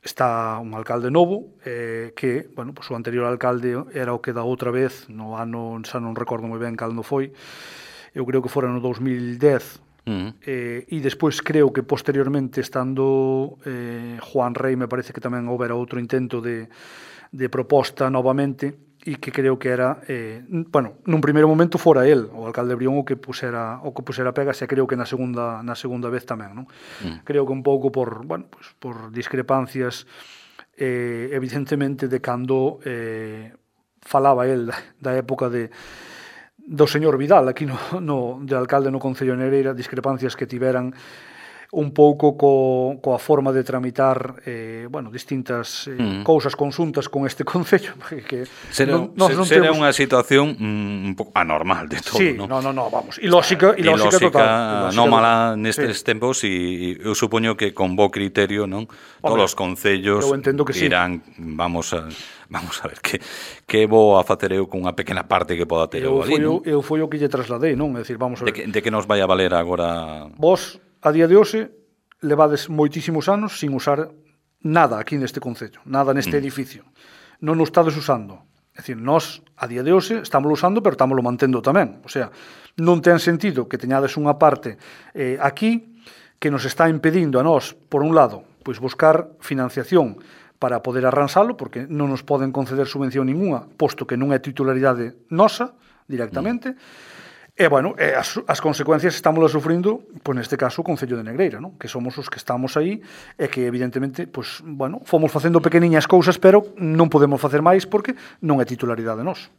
está un alcalde novo, eh, que, bueno, pois o anterior alcalde era o que da outra vez, no ano, xa non recordo moi ben cando foi, eu creo que fora no dos mil dez, Uh-huh. Eh, e despois creo que posteriormente estando eh, Juan Rey, me parece que tamén houbera outro intento de, de proposta novamente, e que creo que era eh, bueno, nun primeiro momento fora el, o alcalde Brión, o que pusera o que pusera pegas, e creo que na segunda na segunda vez tamén, non? Uh-huh. Creo que un pouco por, bueno, pues, por discrepancias eh, evidentemente de cando eh, falaba el da, da época de do señor Vidal, aquí no, no, de alcalde no Concello de Negreira, discrepancias que tiveran un pouco co, coa forma de tramitar eh, bueno, distintas eh, mm. cousas consuntas con este Concello. Que será non, se, non será temos... unha situación mm, un pouco anormal de todo, sí, non? no, no, no, vamos. E lógica, e lógica, lógica total. Anómala nestes sí. tempos, e eu supoño que con bo criterio, non? Todos os concellos dirán, sí. vamos a... Vamos a ver, que, que vou a facer eu con unha pequena parte que poda ter eu, eu ali, non? Eu foi o que lle trasladei, non? É dicir, vamos a ver. De que, de que nos vai a valer agora... Vos, a día de hoxe, levades moitísimos anos sin usar nada aquí neste concello, nada neste mm. edificio. Non o estades usando. É dicir, nós, a día de hoxe, estamos usando, pero estamos lo mantendo tamén. O sea, non ten sentido que teñades unha parte eh, aquí que nos está impedindo a nós, por un lado, pois buscar financiación para poder arransalo, porque non nos poden conceder subvención ninguna, posto que non é titularidade nosa, directamente, mm. e, bueno, e as, as consecuencias estamos sufrindo, pois, neste caso, o Concello de Negreira, non? Que somos os que estamos aí, e que, evidentemente, pois, bueno, fomos facendo pequeniñas cousas, pero non podemos facer máis, porque non é titularidade nosa.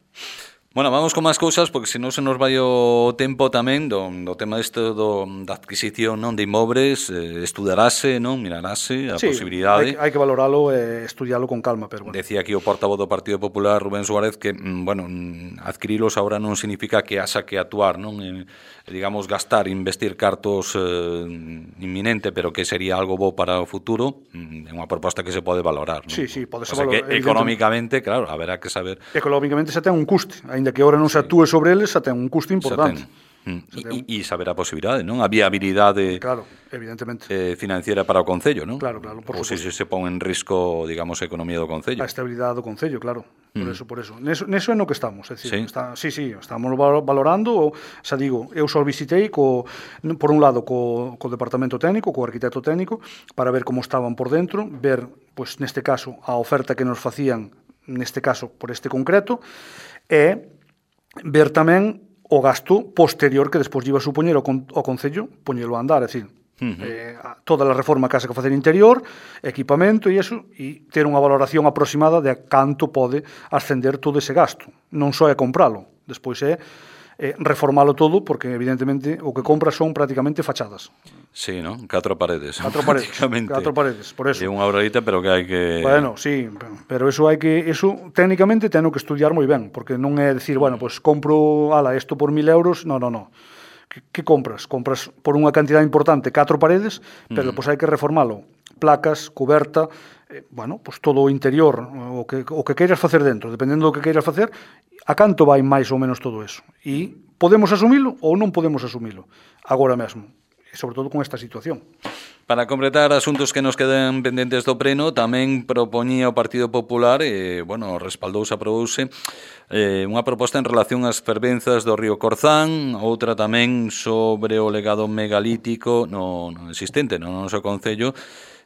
Bueno, vamos con máis cousas, porque senón se nos vai o tempo tamén do, do tema deste do, da adquisición, non, de inmobles, eh, estudarase, non, mirarase a sí, posibilidade. Hai, hai que valoralo e eh, estudialo con calma, pero bueno. Decía aquí o portavoz do Partido Popular, Rubén Suárez, que, bueno, adquirilos agora non significa que haxa que actuar, non, eh, digamos, gastar, investir cartos eh, inminente, pero que sería algo bo para o futuro, é unha proposta que se pode valorar, non? Sí, sí, pode ser valorar. O sea, que económicamente, claro, haberá que saber... Económicamente xa ten un custe, ainda que ahora non se actúe sobre eles, xa ten un custo importante. E, e saber a posibilidade, non? A viabilidade claro, evidentemente. Eh, financiera para o Concello, non? Claro, claro, por Ou se se pon en risco, digamos, a economía do Concello. A estabilidade do Concello, claro. Por mm. eso, por eso. Neso, neso é no que estamos, é dicir, sí, está, sí, sí, estamos valorando, o, xa digo, eu só visitei co, por un lado co, co departamento técnico, co arquitecto técnico, para ver como estaban por dentro, ver, pois, neste caso, a oferta que nos facían, neste caso, por este concreto, e ver tamén o gasto posterior que despois iba a supoñer o, con, o Concello poñelo a andar, é dicir, uh-huh. eh, toda a reforma que haxa que facer interior, equipamento e iso, e ter unha valoración aproximada de a canto pode ascender todo ese gasto. Non só é compralo, despois é eh, reformalo todo, porque evidentemente o que compras son prácticamente fachadas. Sí, ¿no? Catro paredes. Catro paredes, catro paredes, por eso. É unha obradita, pero que hai que... Bueno, sí, pero eso hai que... Eso, técnicamente, teno que estudiar moi ben, porque non é decir, bueno, pues compro, ala, isto por mil euros, no, no, no. Que, que compras? Compras por unha cantidad importante catro paredes, pero mm. pues hai que reformalo. Placas, cuberta, eh, bueno, pues todo o interior, o que, o que queiras facer dentro, dependendo do que queiras facer, a canto vai máis ou menos todo eso. E podemos asumilo ou non podemos asumilo agora mesmo, e sobre todo con esta situación. Para completar asuntos que nos quedan pendentes do pleno, tamén propoñía o Partido Popular, e, bueno, respaldouse, aprobouse, eh, unha proposta en relación ás fervenzas do río Corzán, outra tamén sobre o legado megalítico no, no existente no noso Concello,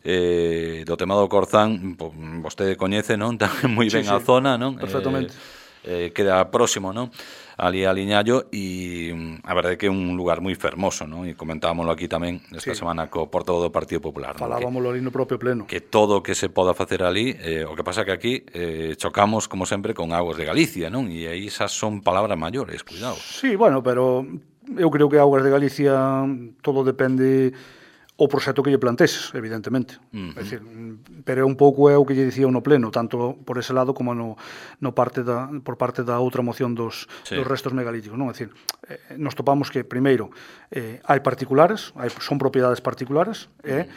eh, do tema do Corzán, vostede coñece, non? Tamén moi ben sí, a sí, zona, non? Perfectamente. Eh, eh, queda próximo, non? Ali a Liñallo, e a verdade que é un lugar moi fermoso, non? E comentábamoslo aquí tamén esta sí. semana co portavoz do Partido Popular, falábamoslo ali no propio pleno, que todo o que se poda facer ali, eh, o que pasa que aquí eh, chocamos como sempre con Augas de Galicia, non? E aí esas son palabras maiores, cuidado. Sí, bueno, pero eu creo que Augas de Galicia todo depende o proxecto que lle planteses, evidentemente. Uh-huh. É dicir, pero é un pouco é o que lle dicía no pleno, tanto por ese lado como no, no parte da, por parte da outra moción dos, sí. dos restos megalíticos. Non? É dicir, eh, nos topamos que, primeiro, eh, hai particulares, hai, son propiedades particulares, e,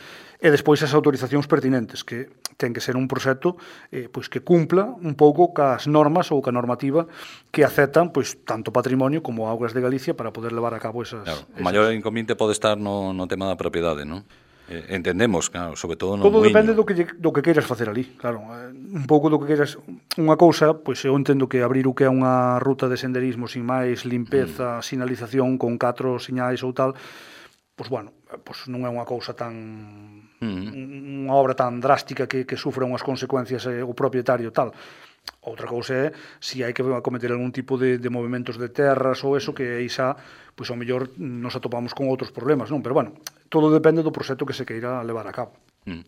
e despois as autorizacións pertinentes, que ten que ser un proxecto eh, pois que cumpla un pouco cas normas ou ca normativa que aceptan pois tanto patrimonio como augas de Galicia para poder levar a cabo esas... Claro, o esas... maior inconveniente pode estar no, no tema da propiedade, non? Eh, entendemos, claro, sobre todo no Todo muiño. depende do que, do que queiras facer ali, claro. Eh, un pouco do que queiras... Unha cousa, pois eu entendo que abrir o que é unha ruta de senderismo sin máis limpeza, mm. sinalización con catro señais ou tal, pois bueno, pois non é unha cousa tan... Mm. unha obra tan drástica que, que sufra unhas consecuencias eh, o propietario tal. Outra cousa é se hai que cometer algún tipo de, de movimentos de terras ou eso, que aí xa, pois ao mellor nos atopamos con outros problemas, non? Pero bueno, todo depende do proxecto que se queira levar a cabo. Mm.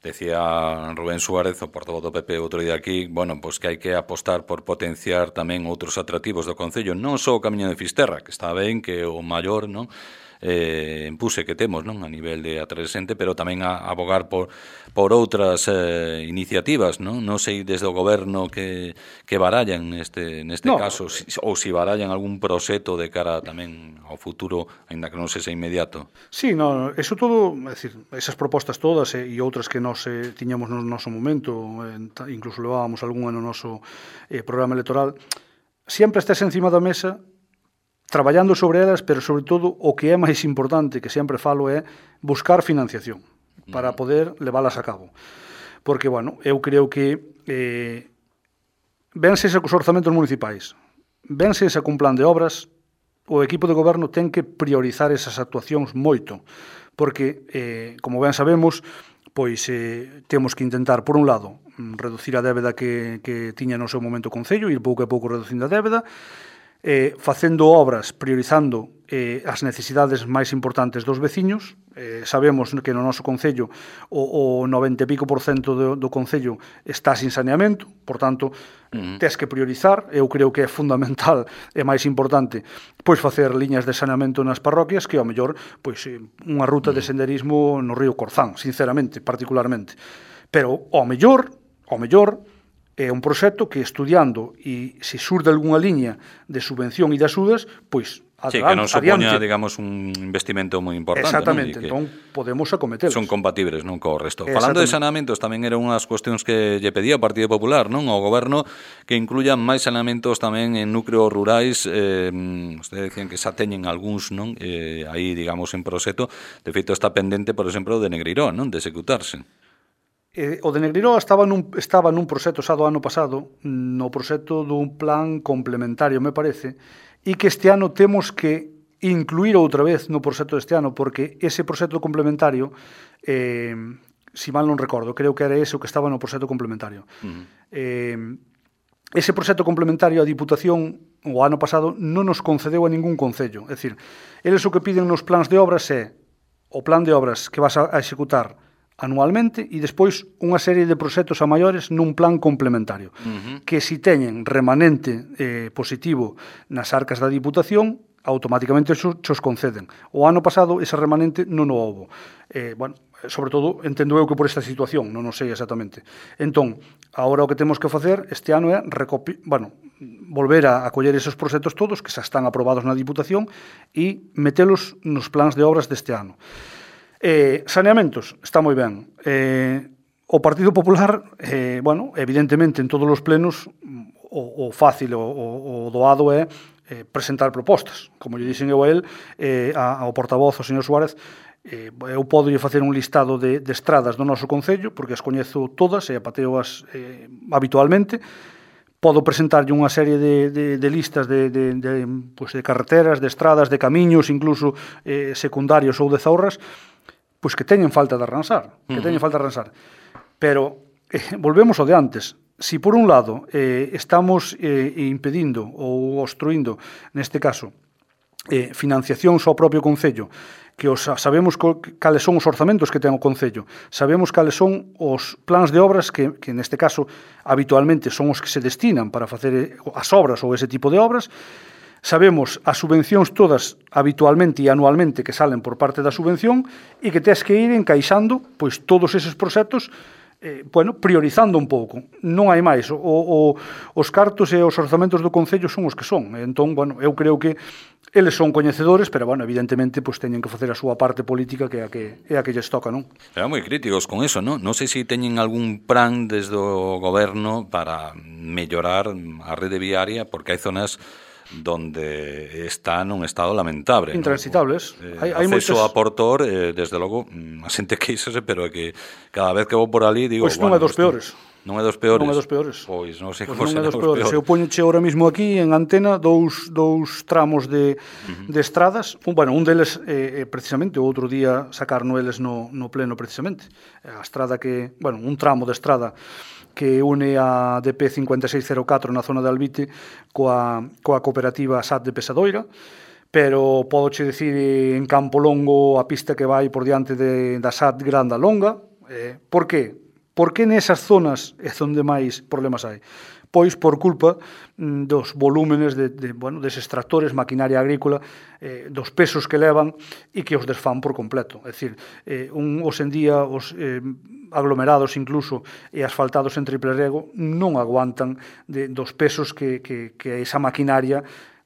Decía Rubén Suárez, o portavoz do P P outro día aquí, bueno, pois que hai que apostar por potenciar tamén outros atractivos do Concello, non só o Camiño de Fisterra, que está ben, que o maior, non? Eh, empuse que temos, non, a nivel de atraxente, pero tamén a, a abogar por, por outras eh, iniciativas, non? Non sei desde o goberno que, que barallan neste, neste no. caso, si, ou si barallan algún proxecto de cara tamén ao futuro, aínda que non sexa inmediato. Sí, no, eso todo, é dicir, esas propostas todas eh, e outras que nós eh, tiñamos no noso momento, eh, incluso levábamos algunha no noso eh, programa electoral, sempre estés encima da mesa traballando sobre elas, pero sobre todo o que é máis importante, que sempre falo, é buscar financiación para poder leválas a cabo. Porque, bueno, eu creo que eh, vense cos orzamentos municipais, vense cun plan de obras, o equipo de goberno ten que priorizar esas actuacións moito, porque, eh, como ben sabemos, pois eh, temos que intentar, por un lado, reducir a débeda que, que tiña no seu momento o Concello, ir pouco a pouco reducindo a débeda, Eh, facendo obras, priorizando eh, as necesidades máis importantes dos veciños. Eh, sabemos que no noso Concello o, o noventa e pico por cento do, do Concello está sin saneamento, por tanto, uh-huh. tes que priorizar. Eu creo que é fundamental e máis importante pois facer liñas de saneamento nas parroquias que, ao mellor, pois unha ruta uh-huh. de senderismo no río Corzán, sinceramente, particularmente. Pero, ao mellor, ao mellor, é un proxecto que estudiando e se surde algunha liña de subvención e de axudas, pois sí, que non supoña, digamos, un investimento moi importante. Exactamente, non? entón podemos acometelos. Son compatibles, non, co resto. Falando de saneamentos, tamén era unhas cuestións que lle pedía o Partido Popular, non, ao goberno, que incluyan máis saneamentos tamén en núcleos rurais. Eh, ustedes decían que xa teñen algúns, non, eh, aí, digamos, en proxecto. De feito, está pendente, por exemplo, de Negreiró, non, de executarse. Eh, o de Negreiró estaba nun, estaba nun proxecto xa do ano pasado, no proxecto dun plan complementario, me parece, e que este ano temos que incluir outra vez no proxecto deste ano, porque ese proxecto complementario, eh, si mal non recordo, creo que era ese o que estaba no proxecto complementario. Uh-huh. Eh, ese proxecto complementario a Diputación o ano pasado non nos concedeu a ningún concello. É dicir, eles o que piden nos plans de obras é o plan de obras que vas a, a executar anualmente e despois unha serie de proxectos a maiores nun plan complementario, uh-huh. que si teñen remanente eh, positivo nas arcas da Diputación, automáticamente xos, xos conceden. O ano pasado ese remanente non o houbo. Eh, bueno, sobre todo, entendo eu que por esta situación, non o sei exactamente. Entón, agora o que temos que facer este ano é recopi... bueno, volver a, a coller esos proxectos todos que xa están aprobados na Diputación e metelos nos plans de obras deste ano. Eh, saneamentos, está moi ben. Eh, o Partido Popular, eh, bueno, evidentemente en todos os plenos o, o fácil, o, o, o doado é eh, presentar propostas. Como lle dixen eu a él, eh, a, ao portavoz, o señor Suárez, eh, eu podo lle facer un listado de, de estradas do noso Concello, porque as coñezo todas e apateoas eh, habitualmente. Podo presentarlle unha serie de, de, de listas de, de, de, pues de carreteras, de estradas, de camiños, incluso eh, secundarios ou de zaurras, pois que teñen falta de arransar, que teñen falta de arransar. Pero eh, volvemos ao de antes. Si por un lado eh, estamos eh, impedindo ou obstruindo, neste caso, eh, financiacións ao propio Concello, que os, sabemos cales son os orzamentos que ten o Concello, sabemos cales son os plans de obras que, que neste caso habitualmente son os que se destinan para facer as obras ou ese tipo de obras. Sabemos as subvencións todas habitualmente e anualmente que salen por parte da subvención e que tes que ir encaixando pois todos eses proxectos eh, bueno, priorizando un pouco. Non hai máis. O, o, os cartos e os orzamentos do Concello son os que son. Entón, bueno, eu creo que eles son coñecedores, pero, bueno, evidentemente, pues, teñen que facer a súa parte política que é a que, é a que lles toca, non? Eran moi críticos con eso, non? Non sei se teñen algún plan desde o goberno para mellorar a rede viaria, porque hai zonas donde está nun estado lamentable. Intransitables. ¿no? Eh, hai, hai acceso moitas... a Portor, eh, desde logo, a xente queixase, pero é que cada vez que vou por ali digo... Pois non bueno, é dos peores. Non é dos peores? Non é dos peores. Pois non sei pois como non é será dos peores. peores. Eu poñoche ahora mismo aquí en antena dous, dous tramos de, uh-huh. de estradas. Un, bueno, un deles, eh, precisamente, o outro día sacarno eles no, no pleno, precisamente. A estrada que, bueno, un tramo de estrada que une a D P cinco seis cero catro na zona de Albite coa, coa cooperativa S A T de Pesadoira, pero podoche dicir en Campo Longo a pista que vai por diante de, da S A T Granda Longa. Eh, por que? Por que nesas zonas é onde máis problemas hai? Pois por culpa mm, dos volúmenes de, de, bueno, deses tractores, maquinaria agrícola, eh, dos pesos que levan e que os desfán por completo. É dicir, eh, un, os en día os eh, aglomerados incluso e asfaltados en triple rego non aguantan de, dos pesos que, que, que esa maquinaria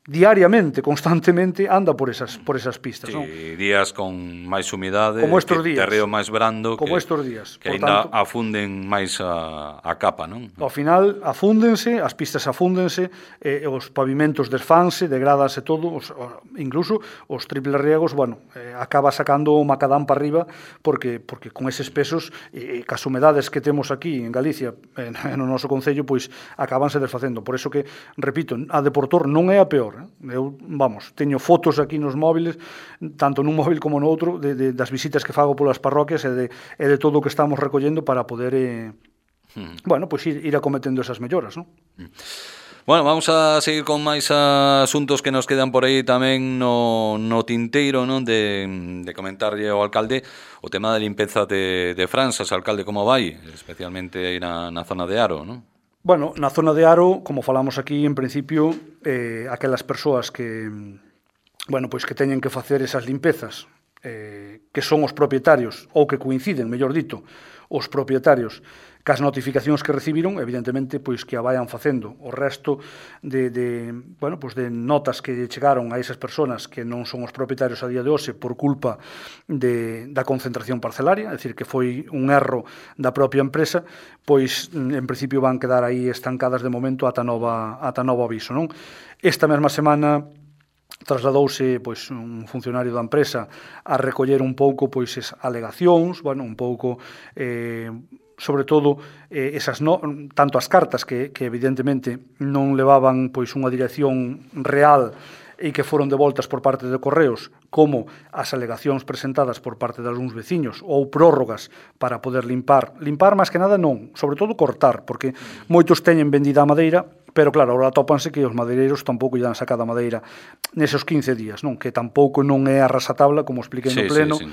diariamente, constantemente, anda por esas por esas pistas. Sí, non? días con máis humidade, como estos que días, terreo máis brando, como que, estos días. que por ainda tanto, afunden máis a, a capa, non? ao final afúndense, as pistas afúndense, eh, os pavimentos desfanse, degrádanse todo, os, incluso os triple riegos, bueno, eh, acaba sacando o macadán para arriba, porque porque con eses pesos e eh, cas humedades que temos aquí en Galicia, en, en o noso concello, pois acabanse desfacendo. Por eso que, repito, a de Portor non é a peor. Eu, vamos, teño fotos aquí nos móviles, tanto nun móvil como no outro, de, de, das visitas que fago polas parroquias e de, e de todo o que estamos recollendo para poder, eh, mm. bueno, pois ir, ir acometendo esas melloras, non? Mm. Bueno, vamos a seguir con máis asuntos que nos quedan por aí tamén no, no tinteiro, non? De, de comentarlle ao alcalde o tema da limpeza de, de Franzas, alcalde, como vai? Especialmente aí na, na zona de Aro, non? Bueno, na zona de Aro, como falamos aquí, en principio, eh, aquelas persoas que, bueno, pois que teñen que facer esas limpezas, eh, que son os propietarios, ou que coinciden, mellor dito, os propietarios, cas notificacións que recibiron, evidentemente, pois que a vayan facendo. O resto de, de, bueno, pois de notas que chegaron a esas persoas que non son os propietarios a día de hoxe por culpa de, da concentración parcelaria, é dicir, que foi un erro da propia empresa, pois en principio van quedar aí estancadas de momento ata nova, ata novo aviso, non? Esta mesma semana trasladouse pois un funcionario da empresa a recoller un pouco pois esas alegacións, bueno, un pouco eh, sobre todo eh, esas no, tanto as cartas que, que evidentemente non levaban pois unha dirección real e que foron devoltas por parte de Correos, como as alegacións presentadas por parte de algúns veciños ou prórrogas para poder limpar, limpar máis que nada non, sobre todo cortar, porque moitos teñen vendida a madeira, pero claro, agora tópanse que os madeireiros tampouco lle dan sacada a madeira neses quince días, non? Que tampouco non é a rasatabla, como expliquei no sí, pleno, sí, sí.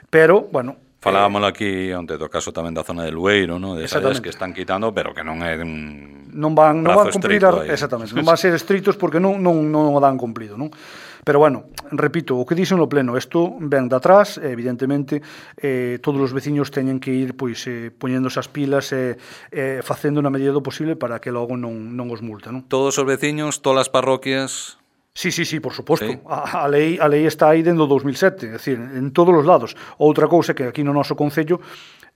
Pero, bueno... Falábamos aquí onte do caso tamén da zona de Lueiro, ¿no? De esas que están quitando, pero que non é un non van non van cumprir a, aí. Exactamente, non van ser estritos porque non non non o dan cumplido, non? Pero bueno, repito, o que dixen no pleno, isto ven de atrás, evidentemente, eh, todos os veciños teñen que ir pois eh, poñendo esas pilas e eh, eh, facendo na medida do posible para que logo non non os multa, non? Todos os veciños, todas as parroquias. Sí, sí, sí, por suposto. Sí. A, a, lei, a lei está aí dentro do dos mil sete, é dicir, en todos os lados. Outra cousa que aquí no noso concello,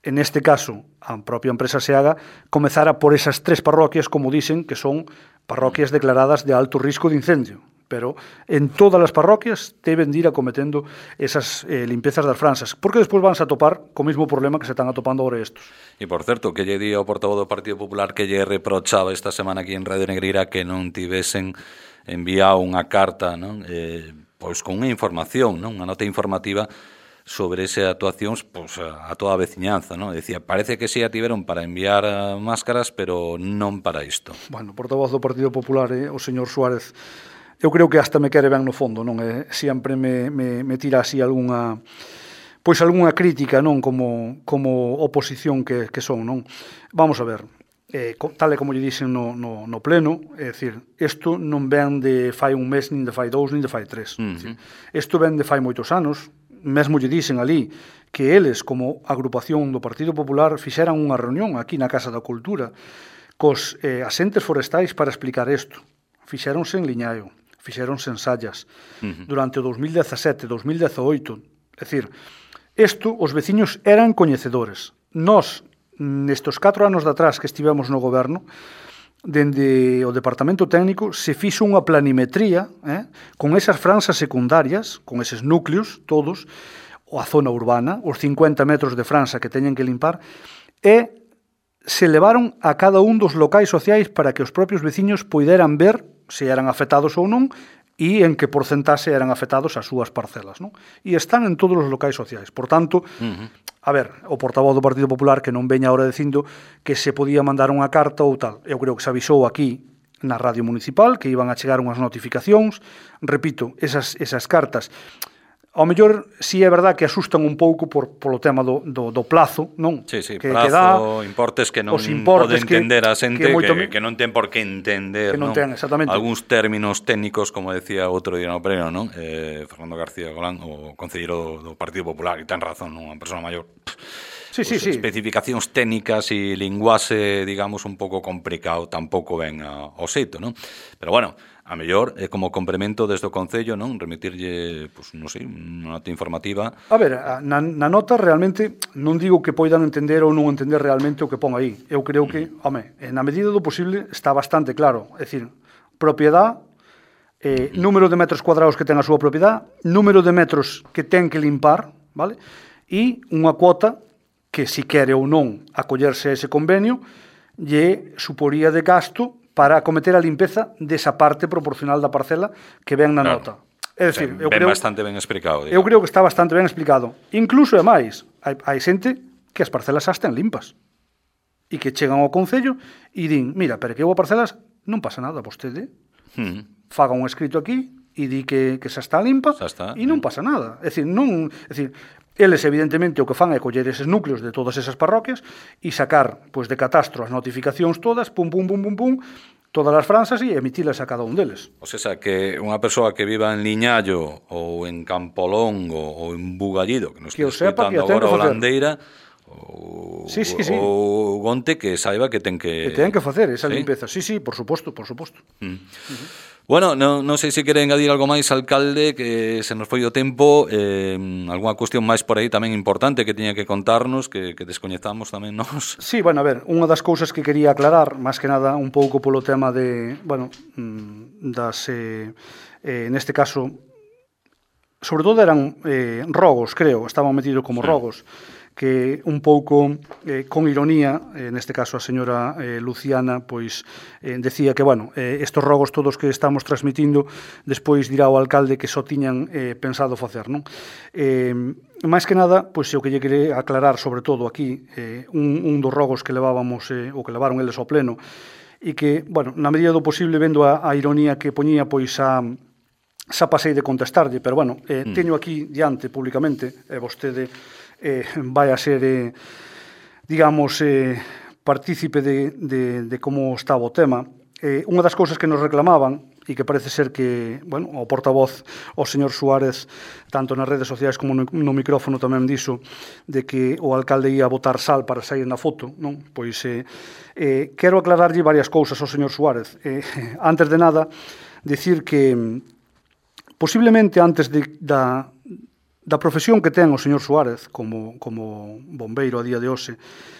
en este caso, a propia empresa Seaga, comezara por esas tres parroquias, como dicen, que son parroquias declaradas de alto risco de incendio. Pero en todas as parroquias deben de ir acometendo esas eh, limpezas das franzas, porque despois vanse a topar co mesmo problema que se están atopando agora estos. E, por certo, que lle di ao portavoz do Partido Popular que lle reprochaba esta semana aquí en Radio Negreira que non tivesen enviado unha carta, non? Eh, pois con unha información, non? Unha nota informativa sobre esa actuacións pois, a toda a veciñanza, non? Decía, parece que si a tiveron para enviar máscaras, pero non para isto. Bueno, o portavoz do Partido Popular, eh, o señor Suárez, eu creo que hasta me quere ben no fondo, non? Eh, sempre me, me, me tira así algunha pois algunha crítica, non? Como, como oposición que, que son, non? Vamos a ver. Eh, tal e como lle dixen no, no, no pleno, é dicir, isto non ven de fai un mes, nin de fai dous, nin de fai tres. Uh-huh. Isto ven de fai moitos anos, mesmo lle dicen ali que eles, como agrupación do Partido Popular, fixeran unha reunión aquí na Casa da Cultura cos eh, asentes forestais para explicar isto. Fixéronse en Liñaio, fixéronse en Sallas, uh-huh. durante o dos mil dezasete, dos mil dezoito. É dicir, isto os veciños eran coñecedores. Nós, nestes catro anos de atrás que estivemos no goberno, dende o Departamento Técnico se fixo unha planimetría eh, con esas franxas secundarias, con eses núcleos todos, a zona urbana, os cincuenta metros de franxa que teñen que limpar, e se levaron a cada un dos locais sociais para que os propios veciños poideran ver se eran afectados ou non e en que porcentaxe eran afectados as súas parcelas, non? E están en todos os locais sociais. Por tanto, uh-huh. a ver, o portavoz do Partido Popular que non veña ahora dicindo que se podía mandar unha carta ou tal. Eu creo que se avisou aquí na radio municipal que iban a chegar unhas notificacións. Repito, esas, esas cartas ao mellor si é verdad que asustan un pouco por polo tema do, do, do plazo, non? Sí, sí, que, plazo, que dá, importes que non importes pode entender que, a xente que, moito, que, que non ten por que entender, que non, non? ten, exactamente. Algúns términos técnicos, como decía outro día no pleno, non? Eh, Fernando García Golán, o concelleiro do, do Partido Popular, e ten razón, non? Unha persona maior. Sí, pues, sí, sí. Especificacións técnicas e linguaxe, digamos, un pouco complicado, tampouco ven ao xeito, non? Pero bueno, a mellor, é como complemento desde o Concello, non? Remitirlle, pues, non sei, unha nota informativa. A ver, na, na nota realmente non digo que poidan entender ou non entender realmente o que pon aí. Eu creo que, home, na medida do posible está bastante claro. É dicir, propiedade, eh, número de metros cuadrados que ten a súa propiedade, número de metros que ten que limpar, vale? E unha cuota que, si quere ou non acollerse a ese convenio, lle suporía de gasto para acometer a limpeza desa parte proporcional da parcela que ven na claro. nota. É dicir, ben, eu creo bastante ben explicado. Digamos. Eu creo que está bastante ben explicado. Incluso é máis, hai, hai xente que as parcelas xa están limpas e que chegan ao Concello e din, mira, pero que eu a parcelas non pasa nada, vostede hmm. faga un escrito aquí e di que, que xa está limpa xa está, e non pasa nada. É dicir, non, é dicir, eles evidentemente o que fan é coller eses núcleos de todas esas parroquias e sacar pois, de catastro as notificacións todas, pum, pum, pum, pum, pum, todas as franxas e emitilas a cada un deles. O sea, que unha persoa que viva en Liñallo ou en Campolongo ou en Bugallido, que nos está escutando agora o Landeira, ou, sí, sí, sí. ou Gonte, que saiba que ten que... Que ten que facer esa ¿sí? limpeza. Sí, sí, por suposto, por suposto. Mm. Uh-huh. Bueno, non no sei se quere engadir algo máis, alcalde, que se nos foi o tempo, eh, algunha cuestión máis por aí tamén importante que tiña que contarnos, que, que descoñezamos tamén nós. Sí, bueno, a ver, unha das cousas que quería aclarar, máis que nada un pouco polo tema de, bueno, das, eh, eh, neste caso, sobre todo eran eh, rogos, creo, estaban metidos como sí. rogos, que un pouco eh, con ironía, eh, neste caso a señora eh, Luciana, pois eh, decía que, bueno, eh, estos rogos todos que estamos transmitindo, despois dirá o alcalde que só tiñan eh, pensado facer, non? Eh, máis que nada, pois o que lle quere aclarar sobre todo aquí, eh, un, un dos rogos que levábamos, eh, o que levaron eles ao pleno, e que, bueno, na medida do posible, vendo a, a ironía que poñía, pois a xa pasei de contestarlle, pero, bueno, eh, mm. teño aquí diante públicamente, e eh, vostede Eh, vai a ser, eh, digamos, eh, partícipe de, de, de como estaba o tema. Eh, unha das cousas que nos reclamaban, e que parece ser que, bueno, o portavoz, o señor Suárez, tanto nas redes sociais como no, no micrófono tamén dixo, de que o alcalde ia botar sal para sair na foto, non? Pois, eh, eh, quero aclararlle varias cousas ao señor Suárez. Eh, antes de nada, dicir que, posiblemente antes de, da... da profesión que ten o señor Suárez como, como bombeiro a día de hoxe,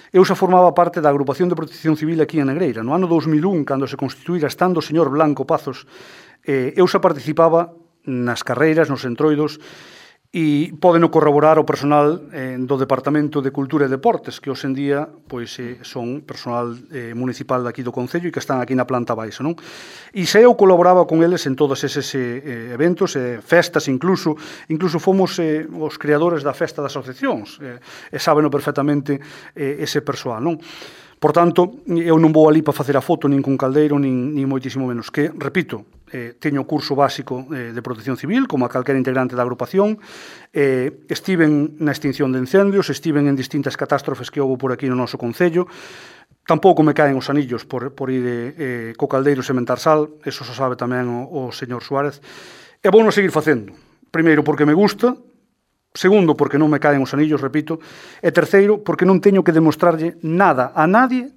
eu xa formaba parte da agrupación de protección civil aquí en Negreira. No ano dos mil un, cando se constituíra, estando o señor Blanco Pazos, eh, eu xa participaba nas carreiras, nos entroidos, e podeno corroborar o personal eh, do Departamento de Cultura e Deportes, que hoxe en día pois, eh, son personal eh, municipal daqui do Concello e que están aquí na planta baixa, non? E se eu colaboraba con eles en todos eses eh, eventos, eh, festas incluso, incluso fomos eh, os creadores da festa das asociacións, eh, e sábeno perfectamente eh, ese persoal, non? Por tanto, eu non vou ali para facer a foto nin con caldeiro, nin, nin moitísimo menos. Que, repito, eh, teño curso básico eh, de protección civil, como a calquera integrante da agrupación, eh, estiven na extinción de incendios, estiven en distintas catástrofes que houve por aquí no noso Concello, tampouco me caen os anillos por, por ir eh, co caldeiro sementar sal, eso se sabe tamén o, o señor Suárez, e vou non seguir facendo. Primeiro, porque me gusta, Segundo, porque non me caen os anillos, repito. E terceiro, porque non teño que demostrarlle nada a nadie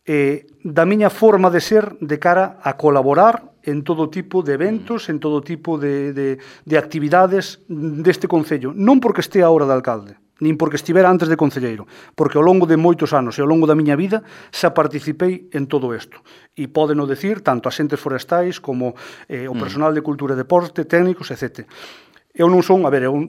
eh, da miña forma de ser de cara a colaborar en todo tipo de eventos, en todo tipo de, de, de actividades deste concello. Non porque este agora de alcalde, nin porque estivera antes de concelleiro, porque ao longo de moitos anos e ao longo da miña vida xa participei en todo isto. E pódeno decir tanto asentes forestais como eh, o personal de cultura e deporte, técnicos, etcétera. Eu non son, a ver, eu,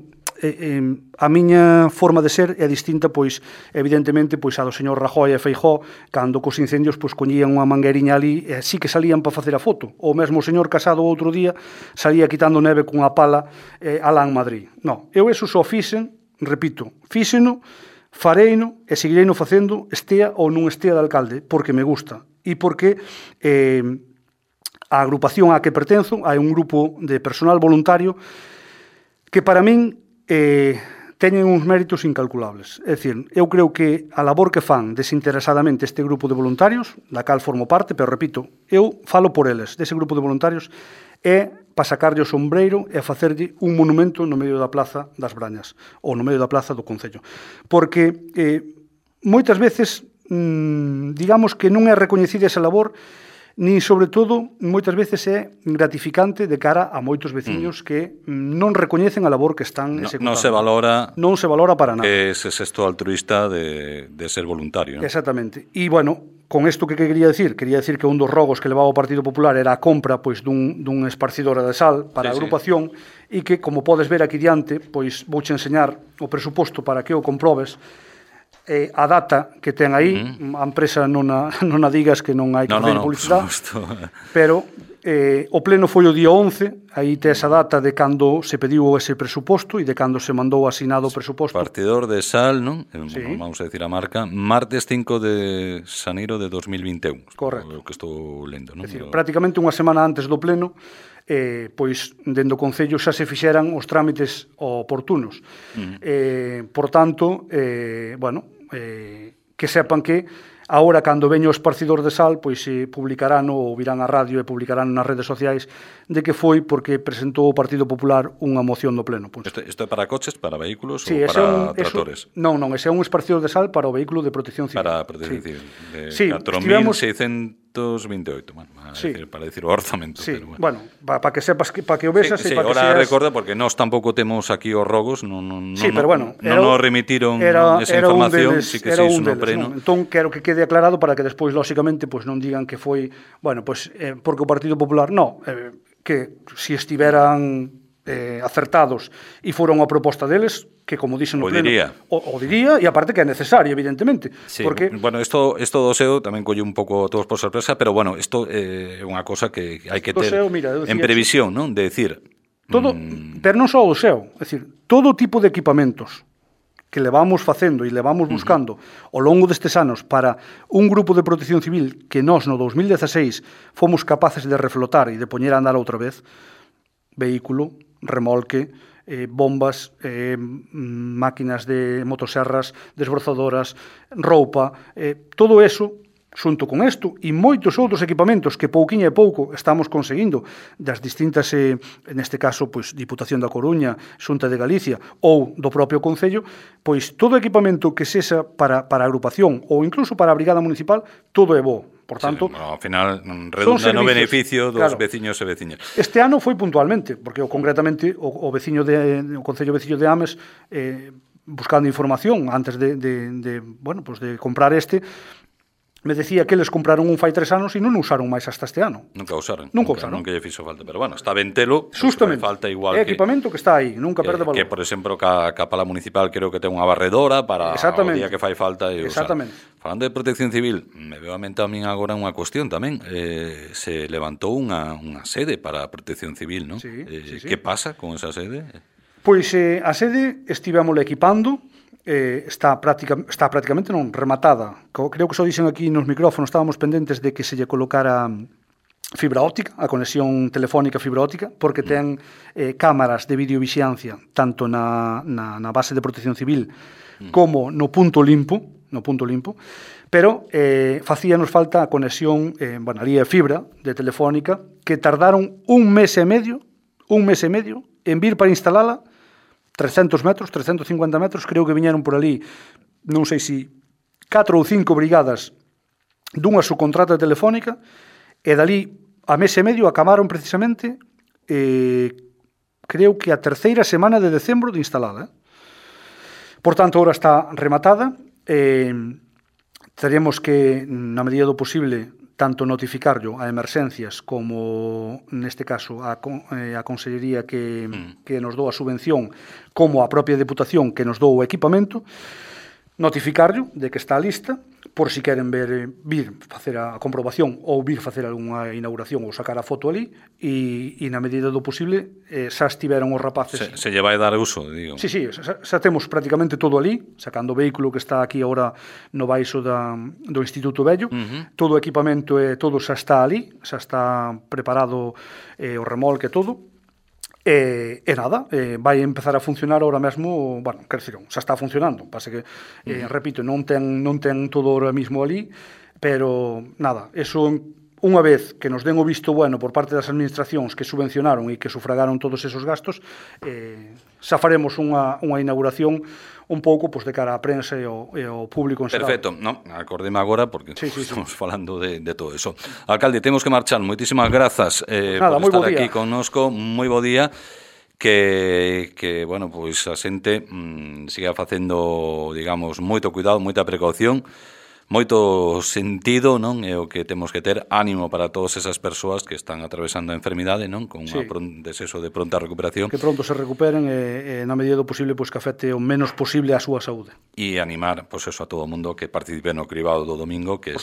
eh, eh, a miña forma de ser é distinta, pois, evidentemente, pois a do señor Rajoy e Feijóo, cando cos incendios, pois, coñían unha mangueriña ali, e sí que salían para facer a foto. O mesmo o señor Casado outro día salía quitando neve cunha pala eh, alá en Madrid. Non, eu eso só fixen, repito, fíxeno, fareino e seguireino facendo estea ou non estea de alcalde, porque me gusta. E porque eh, a agrupación á que pertenzo, hai un grupo de personal voluntario que para min eh, teñen uns méritos incalculables. É dicir, eu creo que a labor que fan desinteresadamente este grupo de voluntarios, da cal formo parte, pero repito, eu falo por eles, dese grupo de voluntarios, é para sacarlle o sombreiro e a facerlle un monumento no medio da Plaza das Brañas, ou no medio da Plaza do Concello. Porque eh, moitas veces, mmm, digamos que non é recoñecida esa labor, nin, sobre todo, moitas veces é gratificante de cara a moitos veciños mm. que non recoñecen a labor que están no, executando. Non se valora non se valora para nada. Que ese gesto altruista de, de ser voluntario, ¿no? Exactamente. E, bueno, con isto que quería decir? Quería decir que un dos rogos que levaba o Partido Popular era a compra pois, dun, dun esparcidora de sal para sí, a agrupación sí. E que, como podes ver aquí diante, pois vouche enseñar o presuposto para que o comprobes. Eh, a data que ten aí, uh-huh. a empresa non a, non a digas que non hai que no, facer no, no, publicidade, pero eh, o pleno foi o día once, aí te esa data de cando se pediu ese presuposto e de cando se mandou asinado o presuposto. Partidor de sal, non? Sí. Vamos a decir a marca, martes cinco de xaneiro de dos mil vinte e un. Correcto. O que estou lendo, non? É dicir, prácticamente unha semana antes do pleno, eh, pois, dende o Concello xa se fixeran os trámites oportunos. Uh-huh. Eh, por tanto, eh, bueno, eh, que sepan que agora, cando veño o esparcidor de sal, pois se publicarán ou virán a radio e publicarán nas redes sociais de que foi porque presentou o Partido Popular unha moción do pleno. Isto, isto é para coches, para vehículos sí, ou para un, tractores? Eso, non, non, ese é un esparcidor de sal para o vehículo de protección civil. Para a protección sí. civil. De sí, catro mil seiscentos vinte e oito, bueno, para, sí. decir, para decir o orzamento. Sí, pero bueno, bueno para pa que sepas, que, para que o vesas sí, e sí, para que ahora seas... recorda, porque nós tampouco temos aquí os rogos, non, non, sí, non, pero bueno, non nos remitiron era, esa era información, deles, sí que era se un hizo no deles, pleno. Non? Entón, quero que quede aclarado para que despois, lóxicamente, pois non digan que foi, bueno, pois, eh, porque o Partido Popular, non, eh, que si estiveran eh, acertados e foron a proposta deles, que como dixen no o pleno, diría. O, o diría, e aparte que é necesario, evidentemente. Sí, porque... bueno, isto, isto do S E O tamén colle un pouco todos por sorpresa, pero bueno, isto é eh, unha cosa que hai que ter S E O, mira, en previsión, non? De decir... Todo, mm... pero non só o S E O, é dicir, todo tipo de equipamentos que levamos facendo e levamos buscando uh-huh. ao longo destes anos para un grupo de protección civil que nós no dos mil dieciséis fomos capaces de reflotar e de poñer a andar outra vez, vehículo, remolque, eh, bombas, eh, máquinas de motoserras, desbrozadoras, roupa, eh, todo eso xunto con isto e moitos outros equipamentos que pouquiña e pouco estamos conseguindo das distintas, eh, neste caso, pois, Diputación da Coruña, Xunta de Galicia ou do propio Concello, pois todo equipamento que sexa para, para a agrupación ou incluso para a Brigada Municipal, todo é bo. Por tanto, sí, bueno, ao final redunda no beneficio dos claro. veciños e veciñas. Este ano foi puntualmente, porque o, concretamente o, o veciño de o Concello Veciño de Ames eh, buscando información antes de, de, de bueno, pues de comprar este, me decía que eles compraron un fai tres anos e non usaron máis hasta este ano. Nunca usaron. Nunca, nunca usaron. Nunca lle fixo falta. Pero bueno, está ben telo. Justamente. Falta igual é que... equipamento que está aí, nunca perde valor. Que, por exemplo, ca, ca pala municipal creo que ten unha barredora para o día que fai falta e usar. Exactamente. Falando de protección civil, me veo a mente a min agora unha cuestión tamén. Eh, se levantou unha, unha sede para a protección civil, non? Sí, eh, sí, sí. Que pasa con esa sede? Pois eh, a sede estivémosla equipando, eh, está, práctica, está prácticamente non rematada. Creo que só dixen aquí nos micrófonos, estábamos pendentes de que se lle colocara fibra óptica, a conexión telefónica fibra óptica, porque ten eh, cámaras de videovixiancia tanto na, na, na base de protección civil como no punto limpo, no punto limpo, pero eh, facíanos falta a conexión, eh, bueno, ali é fibra de telefónica, que tardaron un mes e medio, un mes e medio, en vir para instalala, trescentos metros, trescentos e cincuenta metros, creo que viñeron por ali, non sei se catro ou cinco brigadas dunha subcontrata telefónica, e dali a mes e medio acabaron precisamente, eh, creo que a terceira semana de decembro de instalada. Eh? Por tanto, ahora está rematada, eh, teremos que, na medida do posible, tanto notificarlo a emerxencias como, neste caso, a, eh, a Consellería que, mm. que nos dou a subvención, como a propia Deputación que nos dou o equipamento, notificarlo de que está lista, por si queren ver, vir facer a comprobación ou vir facer algunha inauguración ou sacar a foto ali, e, e na medida do posible eh, xa estiveron os rapaces. Se, se lle vai dar uso, digo. Sí, sí, xa, xa temos prácticamente todo ali, sacando o vehículo que está aquí agora no baixo da, do Instituto Vello, uh-huh. todo o equipamento e todo xa está ali, xa está preparado eh, o remolque e todo. E, e nada, eh, vai empezar a funcionar ahora mesmo, bueno, quer dizer, xa está funcionando, pasa que, eh, repito, non ten, non ten todo ahora mismo ali, pero nada, eso unha vez que nos den o visto bueno por parte das administracións que subvencionaron e que sufragaron todos esos gastos, eh, xa faremos unha, unha inauguración un pouco pues, de cara á prensa e ao, e ao público en xeral. Perfecto, no, acordeme agora porque sí, sí, estamos sí. falando de, de todo eso. Alcalde, temos que marchar, moitísimas grazas eh, Nada, por estar aquí connosco, moi bo día, que, que bueno, pois a xente mmm, siga facendo, digamos, moito cuidado, moita precaución, moito sentido, non? É o que temos que ter, ánimo para todas esas persoas que están atravesando a enfermidade, non? Con sí. un deseso de pronta recuperación. Que pronto se recuperen e, e na medida do posible pois, que afecte o menos posible a súa saúde. E animar, pois eso, a todo o mundo que participe no cribado do domingo, que é,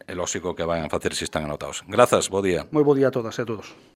é lógico que vayan a facer se están anotados. Grazas, bo día. Moi bo día a todas e a todos.